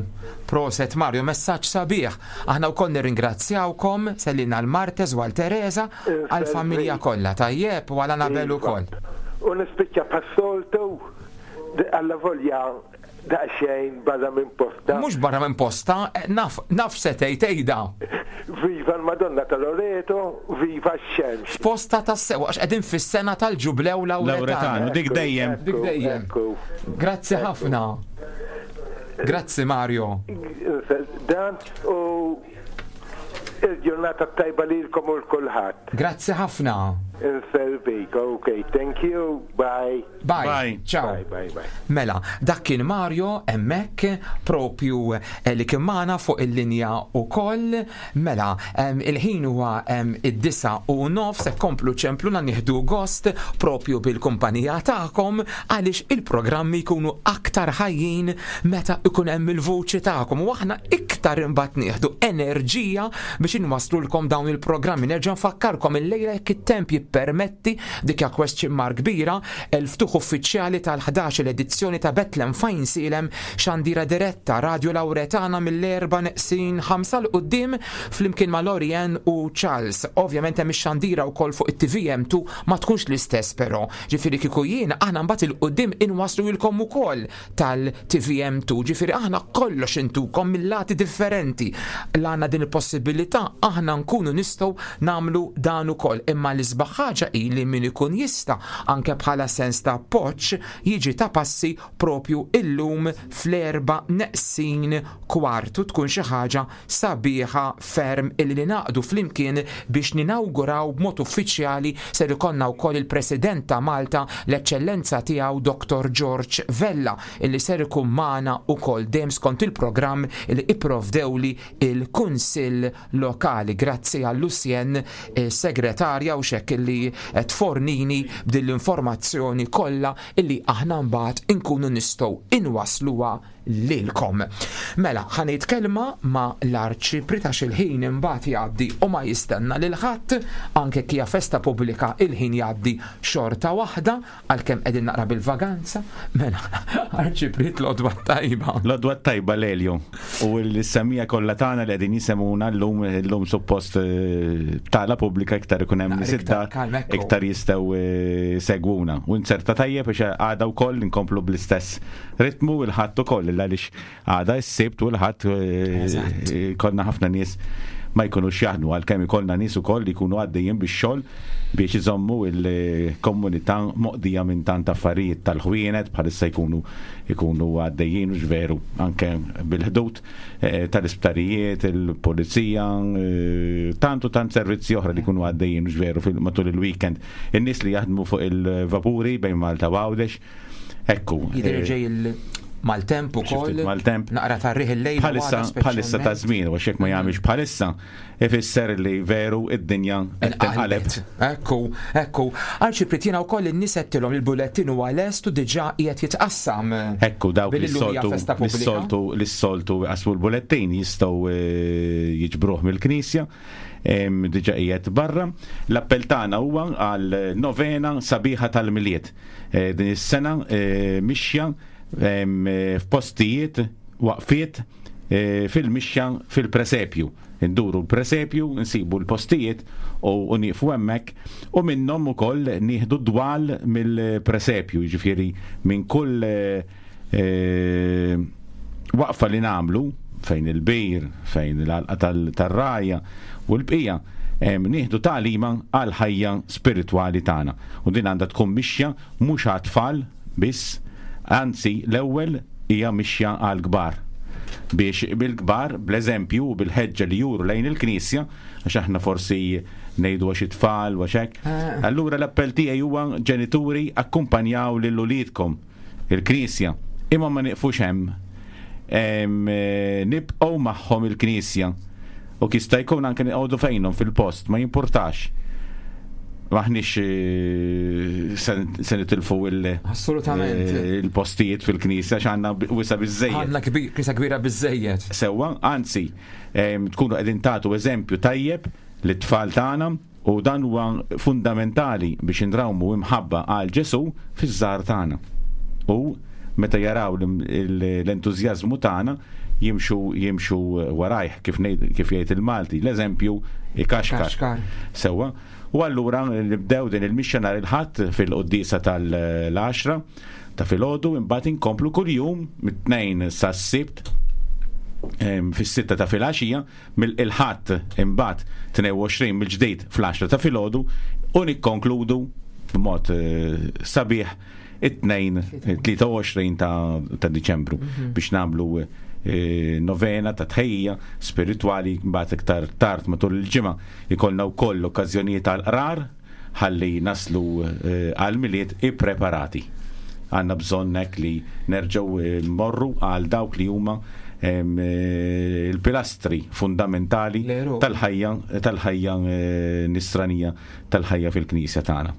Proset Mario, messaġġ sabiħ. Aħna wkoll nirringrazzjawkom, sellilna għal Martes u għal Teresa, għall-familja kollha, tajjeb, u għal Anabel ukoll.
U nispiċċa bħas-soltu, allavolja Daqsxejn barra minn posta.
Mhux barra minn posta, naf, naf se tgħid għidha.
Viva l-Madonna ta' Loreto, viva x-xemx.
F'posta tassew għax qegħdin fis-sena tal-Ġublew Lawretanu.
Lawretanu, dik dejjem.
Dik dejjem. Grazzi ħafna. Grazzi Mario.
Dan u il-ġurnata tajba lilkom u l-kulħadd.
Grazzi ħafna.
Inservik, ok, thank you, bye.
Bye. Bye. Ciao.
Bye, bye, bye.
Mela, dak kien Mario hemmhekk propju eh, li kien magħna fuq il-linja ukoll. Mela, il-ħin huwa id-disa u nofs se komplu ċempluna nieħdu gost propju bil-kumpanija tagħkom għaliex il-programmi jkunu aktar ħajjin meta ikun hemm il-vuċi tagħkom u aħna iktar imbagħad nieħdu enerġija biex inwaslulkom dawn il-programmi. Nerġa' nfakkarkom illejla jekk it-temp jippermetti Dik hija question mark kbira, il-ftuħ uffiċjali tal-ħdax-il edizzjoni ta' Bethlehem f'Għajnsielem, xandira diretta, Radju Lawretana mill-erba' neqsin ħamsa 'l quddiem flimkien ma' Lorianne u Charles. Ovvjament hemm ix-xandira wkoll fuq it-TVM2 ma tkunx l-istess però. Ġifieri kieku jien aħna mbagħad 'il quddiem inwassluilkom ukoll tal-TVM2, ġifieri aħna kollox intukom mil-lati differenti. La għandna din il-possibilità aħna nkunu nistgħu nagħmlu dan ukoll. Imma l-isbaħ ħaġa hi li min ikun jista' anke bħala sens ta' appoġġ jiġi ta' passi propju illum fl-erba' neqsin kwart u tkun xi ħaġa sabiħa ferm illi ningħaqdu flimkien biex ninawguraw b'mod uffiċjali ser ikollna wkoll il-President ta' Malta l-Eċċellenza Tiegħu Dottor George Vella illi ser ikun magħna wkoll dejjem skont il-programm illi ipprovdewli il-Kunsill Lokali. Grazzi għal Lucienne is-segretarja u x'hekk illi tfornini b'din l-informazzjoni kollha illi aħna mbagħad inkunu nistgħu inwassluha. lilkom. Mela, ħa ngħid kelma ma' l-Arċipriet għax il-ħin imbagħad jgħaddi u ma jistenna lil ħadd, anke jekk hija festa pubblika il-ħin jgħaddi xorta waħda, għalkemm qegħdin naqra bil-vaganza. Mela, Arċipriet l-għodwa t-tajba.
L-għodwa t-tajba Lelio u l-semmiegħa kollha tagħna li qegħdin jisemgħuna llum, illum suppost btala pubblika iktar ikun hemm nies id-dar, iktar jistgħu jsegwuna. U nzerta tajjeb biex għada wkoll inkomplu bl-istess ritmu il-Ħadd ukoll għaliex għada s-Sibt u l-Ħadd eh, konna ħafna nies ma jkunux jaħdmu għalkemm ikollna nies ukoll li jkunu għaddejjin bix-xogħol biex iżommu il-komunità moqdija minn tant affarijiet tal-ħwienet bħalissa jkunu jkunu għaddejjin u veru anke bil-ħdud eh, tal-isptarijiet, il-pulizija, eh, tant u tant servizzi oħra li jkunu għaddejjin u veru matul il-weekend. In-nies li jaħdmu fuq il-vapuri bejn Malta u Għawdex Ekku.
Jidher eh, ġej il-maltemp ukoll.
Maltemp.
Naqra tarriħ il-lejl.
Bħalissa bħalissa ta' żmien, għax jekk ma jagħmilx bħalissa, ifisser li veru id-dinja qed tinqaleb.
Ekku, ekku. Arċipriet jiena wkoll in-nies għedtilhom il-bullettin huwa lest u diġà qiegħed jitqassam.
Ekku dawk li soltu li soltu li soltu jqassmu l-bullettin jistgħu eh, jiġbruh mill-knisja diġà qiegħed barra. L-appell tagħna huwa għal novena sabiħa tal-Milied. Eh, din is-sena eh, mixja eh, f'postijiet waqfiet fil-mixja fil-presepju. Induru l-presepju, nsibu l-postijiet u nieqfu hemmhekk u minnhom ukoll nieħdu dwal mill-presepju, jiġifieri minn kull waqfa li nagħmlu fejn il-bir, fejn l-għalqa tal-rajja u l-bqija, nieħdu tagħlima għall-ħajja spiritwali tagħna. U din għandha tkun mixja mhux għat-tfal biss, anzi l-ewwel hija mixja għall-kbar. Biex bil-kbar, bl-eżempju u bil-ħeġġa li juru lejn il-Knisja, għax aħna forsi ngħidu għax it-tfal u għax hekk. Allura l-appell tiegħi huwa ġenituri akkumpanjaw lil uliedkom il-Knisja. Imma ma nieqfux hemm. Nibqgħu magħhom il-Knisja. U jista' jkun anke noqogħdu fejnhom fil-post, ma jimpurtax. Maħniex eh, se nitilfu
Assolutament.
Eh, il-postijiet fil-knisja x'għandna wisa biżejjed.
Għandna knisja kbira biżejjed.
Sewwa, anzi, tkunu qegħdin tagħtu eżempju tajjeb lit-tfal tagħna U dan huwa fundamentali biex inrawmu imħabba għal Ġesù fiż-żgħar tagħna. U meta jaraw l-entużjażmu tagħna jimxu jimxu warajh kif kif jgħid il-Malti, l-eżempju ikaxkar. Sewwa. U allura nibdew din il-mixja nhar il-Ħadd fil-quddiesa tal-għaxra ta' filgħodu imbagħad inkomplu kuljum mit-Tnejn sas-Sibt fis-sitta ta' filgħaxija mill-Il-Ħadd imbagħad 22 mill-ġdid fl-għaxra ta' filgħodu u nikkonkludu b'mod eh, sabiħ it-tnejn 23 ta' Diċembru mhm. biex nagħmlu eh, novena ta' tħejja spiritwali mbagħad iktar tard matul il-ġimgħa ikollna wkoll okkażjonijiet għal qrar ħalli naslu għall-Milied ippreparati. Għandna bżonn hekk li nerġgħu mmorru għal dawk li huma l-pilastri fundamentali tal-ħajja tal-ħajja nisranija tal-ħajja fil-Knisja tagħna.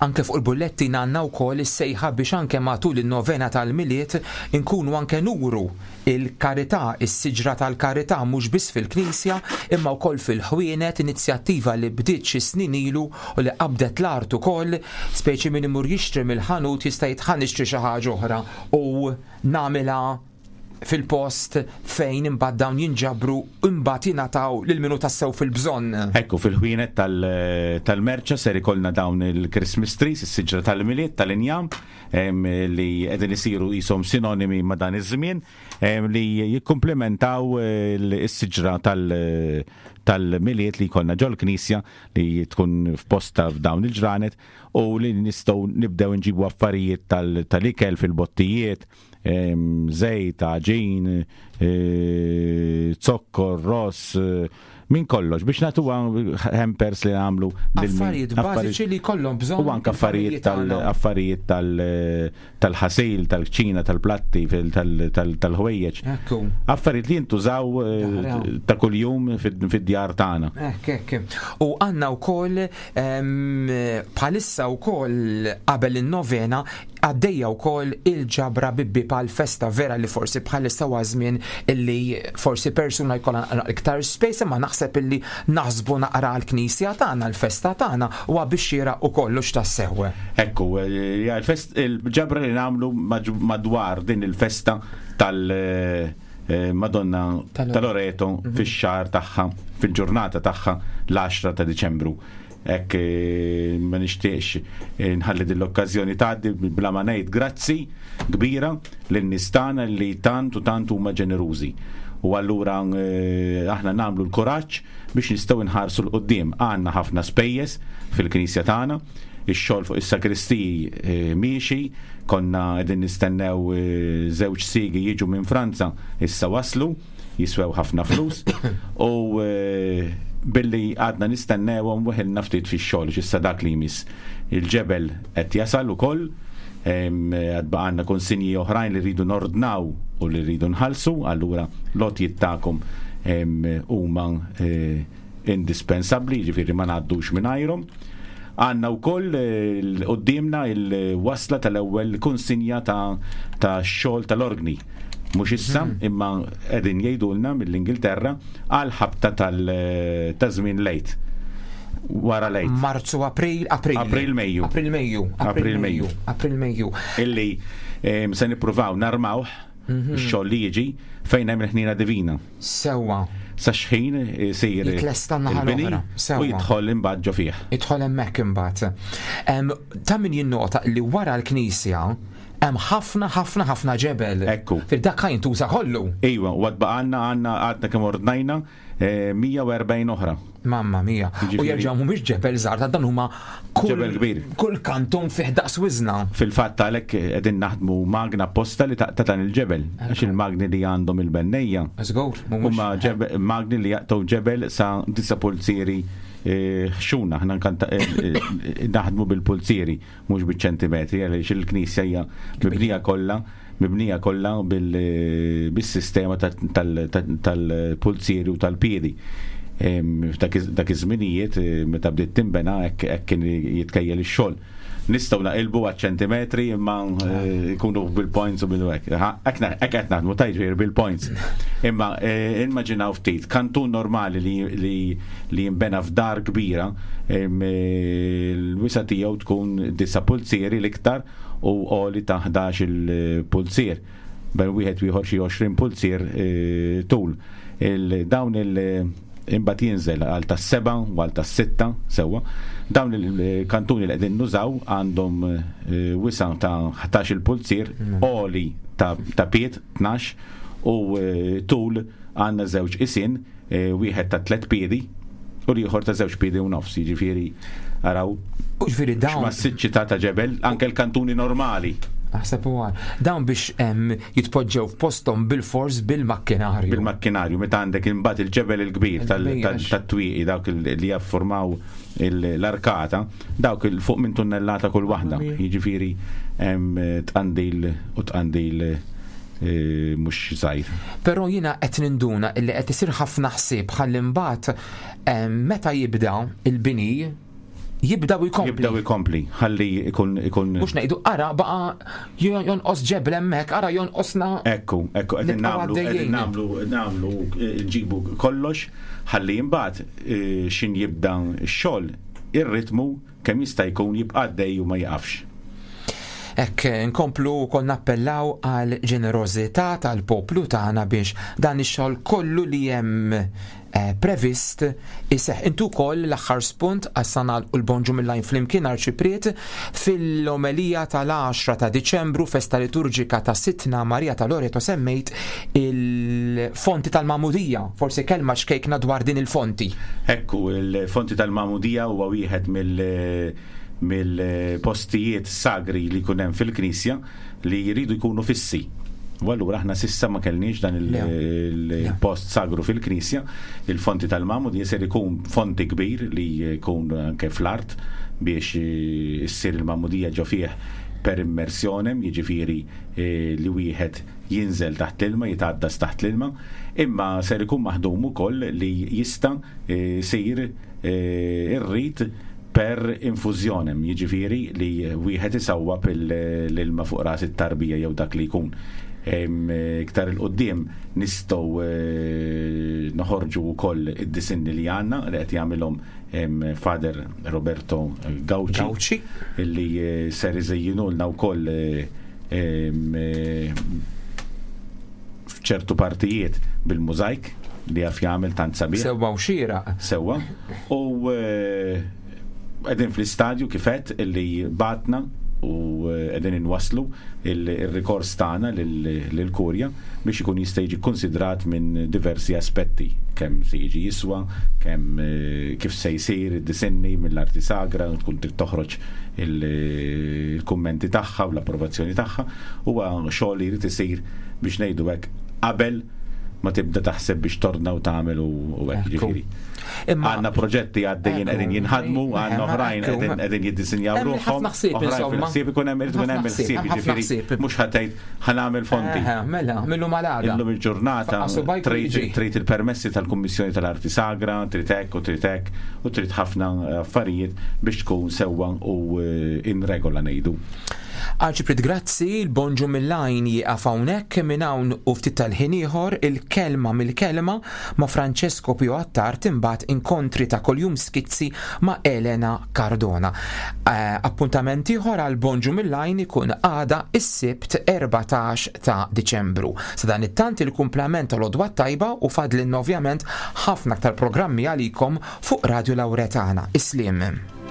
Anke fuq il-bullettin għandna wkoll is-sejħa biex anke matul in-novena tal-Milied inkunu anke nuru Il-karità, is-siġra tal-karità mhux biss fil-knisja imma wkoll fil-ħwienet, inizjattiva li bdiet xi snin ilu u li qabdet l-art ukoll, speċi min imur jixtri mill-ħanut jista' jgħid ħa nixtri xi ħaġa oħra u nagħmilha fil-post fejn imbagħad dawn jinġabru imbagħad jingħataw lil min hu tassew fil-bżonn.
Ekku, fil-ħwienet tal-merċa ser ikollna dawn il-Christmas trees, is-siġra tal-Milied tal-injam, li qegħdin isiru qishom sinonimi ma' dan iż-żmien li jikkumplementaw eh, is-siġra tal-miliet li jkollna ġol-knisja li tkun f'posta f'dawn il-ġranet u li nistgħu nibdew nġibu affarijiet tal-ikel fil-bottijiet, żejt, għaġin, eh, zokkor, ross, eh, minn kollox biex nagħtu hampers li nagħmlu
affarijiet bażiċi li jkollhom bżonn.
U anke affarijiet tal-affarijiet tal-ħasil, tal-kċina, tal-platti, tal-ħwejjeġ. Affarijiet li jintużaw eh, ta' kuljum fid-djar tagħna.
Hekk hekk. U għandna wkoll bħalissa wkoll qabel in-novena. Għaddejja wkoll il-ġabra bibbi pal festa vera li forsi bħalissa huwa żmien illi forsi persuna jkollha naqra iktar space imma naħseb illi naħsbu naqra għall-knisja tagħna, l-festa tagħna huwa biex xieraq ukoll hux tassew.
Ekku, hija il-ġabra li nagħmlu madwar din il-festa tal- Madonna ta' Loreto fix-xahar tagħha, fil-ġurnata tagħha l-10 ta' Diċembru. Hekk ma nixtieqx nħalli din l-okkażjoni tgħaddi bla ma ngħid grazzi kbira lin-nies tagħna li tant u tant huma ġenerużi. U allura aħna nagħmlu l-kuraġġ biex nistgħu nħarsu 'l quddiem. Għandna ħafna spejjeż fil-knisja tagħna, ix-xogħol fuq is-sagristiji miexi, konna qegħdin nistennew żewġ siegi jiġu minn Franza, issa waslu. jiswew ħafna flus u billi għadna nistennewhom weħilna ftit fix-xogħol x'issa dak li jmiss. Il-ġebel qed jasal ukoll, għad baqgħalna konsinji oħrajn li rridu nordnaw u li rridu nħallsu, allura l-għotjiet tagħkom huma indispensabbli, jiġifieri ma ngħaddux mingħajrhom. Għandna wkoll quddiemna l-wasla tal-ewwel kunsinja ta' xogħol tal-orgni. Mhux issa, imma qegħdin jgħidulna mill-Ingilterra għal ħabta ta' żmien l-Għid. Wara l-Għid.
Marzu, April, April.
April, Mejju.
April, Mejju.
April, Mejju.
April, Mejju.
Illi se nippruvaw narmawh ix-xogħol li jiġi fejn hemm il-ħniena divina.
Sewwa.
Sa xħin isir
Jitlesta n-naħa
il-bini
l-oħra. Sewwa.
u jidħol imbagħad ġo fih.
Idħol hemmhekk imbagħad. Ta' min jinnota li wara l-knisja hemm ħafna ħafna ħafna ġebel.
Ekku.
Fil-dak ħa jintuża kollu.
Iva, u għad baqgħalna għandna għadna kemm ordnajna 140 oħra.
Mamma mia. U
Jiġifieri-
jerġgħu mhumiex ġebel żgħar, ta' dan huma kull
Ġebel kbir.
Kull kantun fih daqs wiżna.
Fil-fatt għalhekk qegħdin naħdmu magna apposta li taqta' dan il-ġebel. Għax il-magni li għandhom il-bennejja.
Żgur, mhumiex.
Huma magni li jaqtgħu ġebel sa disa' pulzieri ħxuna. Aħna naħdmu bil-pulzieri, mhux biċ-ċentimetri, għaliex il-knisja hija mibnija kollha mibnija kollha bis-sistema tal-pulzieri u tal-piedi. Dak iż-żminijiet meta bdiet tinbena hekk kien jitkejjel ix-xogħol. Nistgħu naqilbu għaċ-ċentimetri imma jkunu bil-points u bil-hekk. Hekk qed naħdmu tajt bil-points. Imma immaġinaw ftit, kantun normali li jinbena f'dar kbira, l-wisa' tiegħu tkun disa' pulzieri l-iktar u għoli ta' 11-il pulzier, bejn wieħed u ieħor xi 20 pulzier tul. Dawn il imbagħad jinżel għal tas-seba' u għal tas-sitta sewwa. Dawn il-kantuni li qegħdin nużaw għandhom wisa' ta' 11-il pulzier, għoli ta' pied 12 u tul għandna żewġ qisien wieħed ta' tlet piedi u l-ieħor ta' żewġ piedi u nofs, jiġifieri araw.
U ġifieri dawn.
X'massiċċità ta' ġebel, anke l-kantuni normali.
Aħseb u għar. Dawn biex jitpoġġew f'posthom bil-fors bil-makkinarju.
Bil-makkinarju, meta għandek imbagħad il-ġebel il-kbir tat-twieqi dawk li jaffurmaw l-arkata, dawk il fuq minn tunnellata kull waħda. Jiġifieri tqandil u tqandil mhux żgħir.
Però jiena qed ninduna illi qed isir ħafna ħsieb ħalli mbagħad meta jibda il-bini jibda u jkompli.
Jibda u jkompli, ħalli ikun ikun.
Mhux ngħidu ara baqa' jonqos ġebel hemmhekk, ara jonqosna.
Ekku, ekku qegħdin nagħmlu qegħdin nagħmlu nagħmlu nġibu kollox ħalli imbagħad xin jibda x-xogħol ir-ritmu kemm jista' jkun jibqa' għaddej u ma jiqafx.
Hekk inkomplu wkoll nappellaw għal ġenerożità tal-poplu tagħna biex dan ix-xogħol kollu li hemm eh, previst iseħħ. Intu wkoll l-aħħar spunt għas nagħlqu l-Bonġu mill-Għajn flimkien Arċipriet fil-omelija tal-10 ta' Diċembru festa liturġika ta' Sidtna Marija ta' Loreto semmejt il-fonti tal-Magħmudija. Forsi kelma xkejkna dwar din il-fonti.
Ekku, il-fonti tal-Magħmudija huwa wieħed mill mill-postijiet sagri li jkun hemm fil-Knisja li jridu jkunu fissi. U allura aħna sissa ma kellniex dan il-post sagru fil-Knisja, il-fonti tal-Magħmudija ser ikun fonti kbir li jkun anke fl-art biex issir il-Magħmudija ġo fih per immersionem, jiġifieri li wieħed jinżel taħt l-ilma, jitgħaddas taħt l-ilma, imma ser ikun maħdum ukoll li jista' jsir ir-rit. per infużjonem, jiġifieri li wieħed isawwab l-ilma fuq ras it-tarbija jew dak li jkun. Iktar 'il quddiem nistgħu noħorġu wkoll id-disinni li għandna li qed jagħmilhom Father Roberto Gauci illi ser iżejjinulna wkoll f'ċertu partijiet bil-mużajk li jaf jagħmel tant sabiħ.
Sewwa u xieraq.
Sewwa. U eh, qegħdin fl-istadju kif għedt illi batna u eh, qegħdin inwasslu il-rikors tagħna lill-Kurja biex ikun jista' jiġi konsidrat minn diversi aspetti, kemm se jiġi jiswa, kemm eh, kif se jsir id-disinni mill-arti sagra, tkun trid toħroġ il-kummenti tagħha u l-approvazzjoni tagħha, huwa xogħol li jrid isir biex ngħidu hekk qabel ma tibda taħseb biex torna u tagħmel u hekk ġifieri. Għandna proġetti għaddejjin qegħdin jinħadmu, għandna oħrajn qegħdin jiddisinjaw ruħhom. Oħrajn fil-ħsieb ikun hemm irid ikun hemm il-ħsieb ġifieri mhux ħa tgħid ħa nagħmel fonti.
Mela, millu malada.
Illum il-ġurnata trid il-permessi tal-Kummissjoni tal-Arti Sagra, trid hekk u trid hekk u trid ħafna affarijiet biex tkun sewwa u in regola ngħidu.
Arċipriet grazzi, il-Bonġu mill-Għajn jieqaf hawnhekk, minn hawn u ftit tal-ħin ieħor il-Kelma mill-Kelma ma' Francesco Pio Attard imbagħad inkontri ta' kuljum skizzi ma' Elena Cardona. Appuntament ieħor għal Bonġu mill-Għajn ikun għada is-Sibt 14 ta' Diċembru. Sadanittant il-kumplament tal-Għodwa t-Tajba u fadlilna ovvjament ħafna aktar programmi għalikom fuq Radio Lauretana. Is-sliem.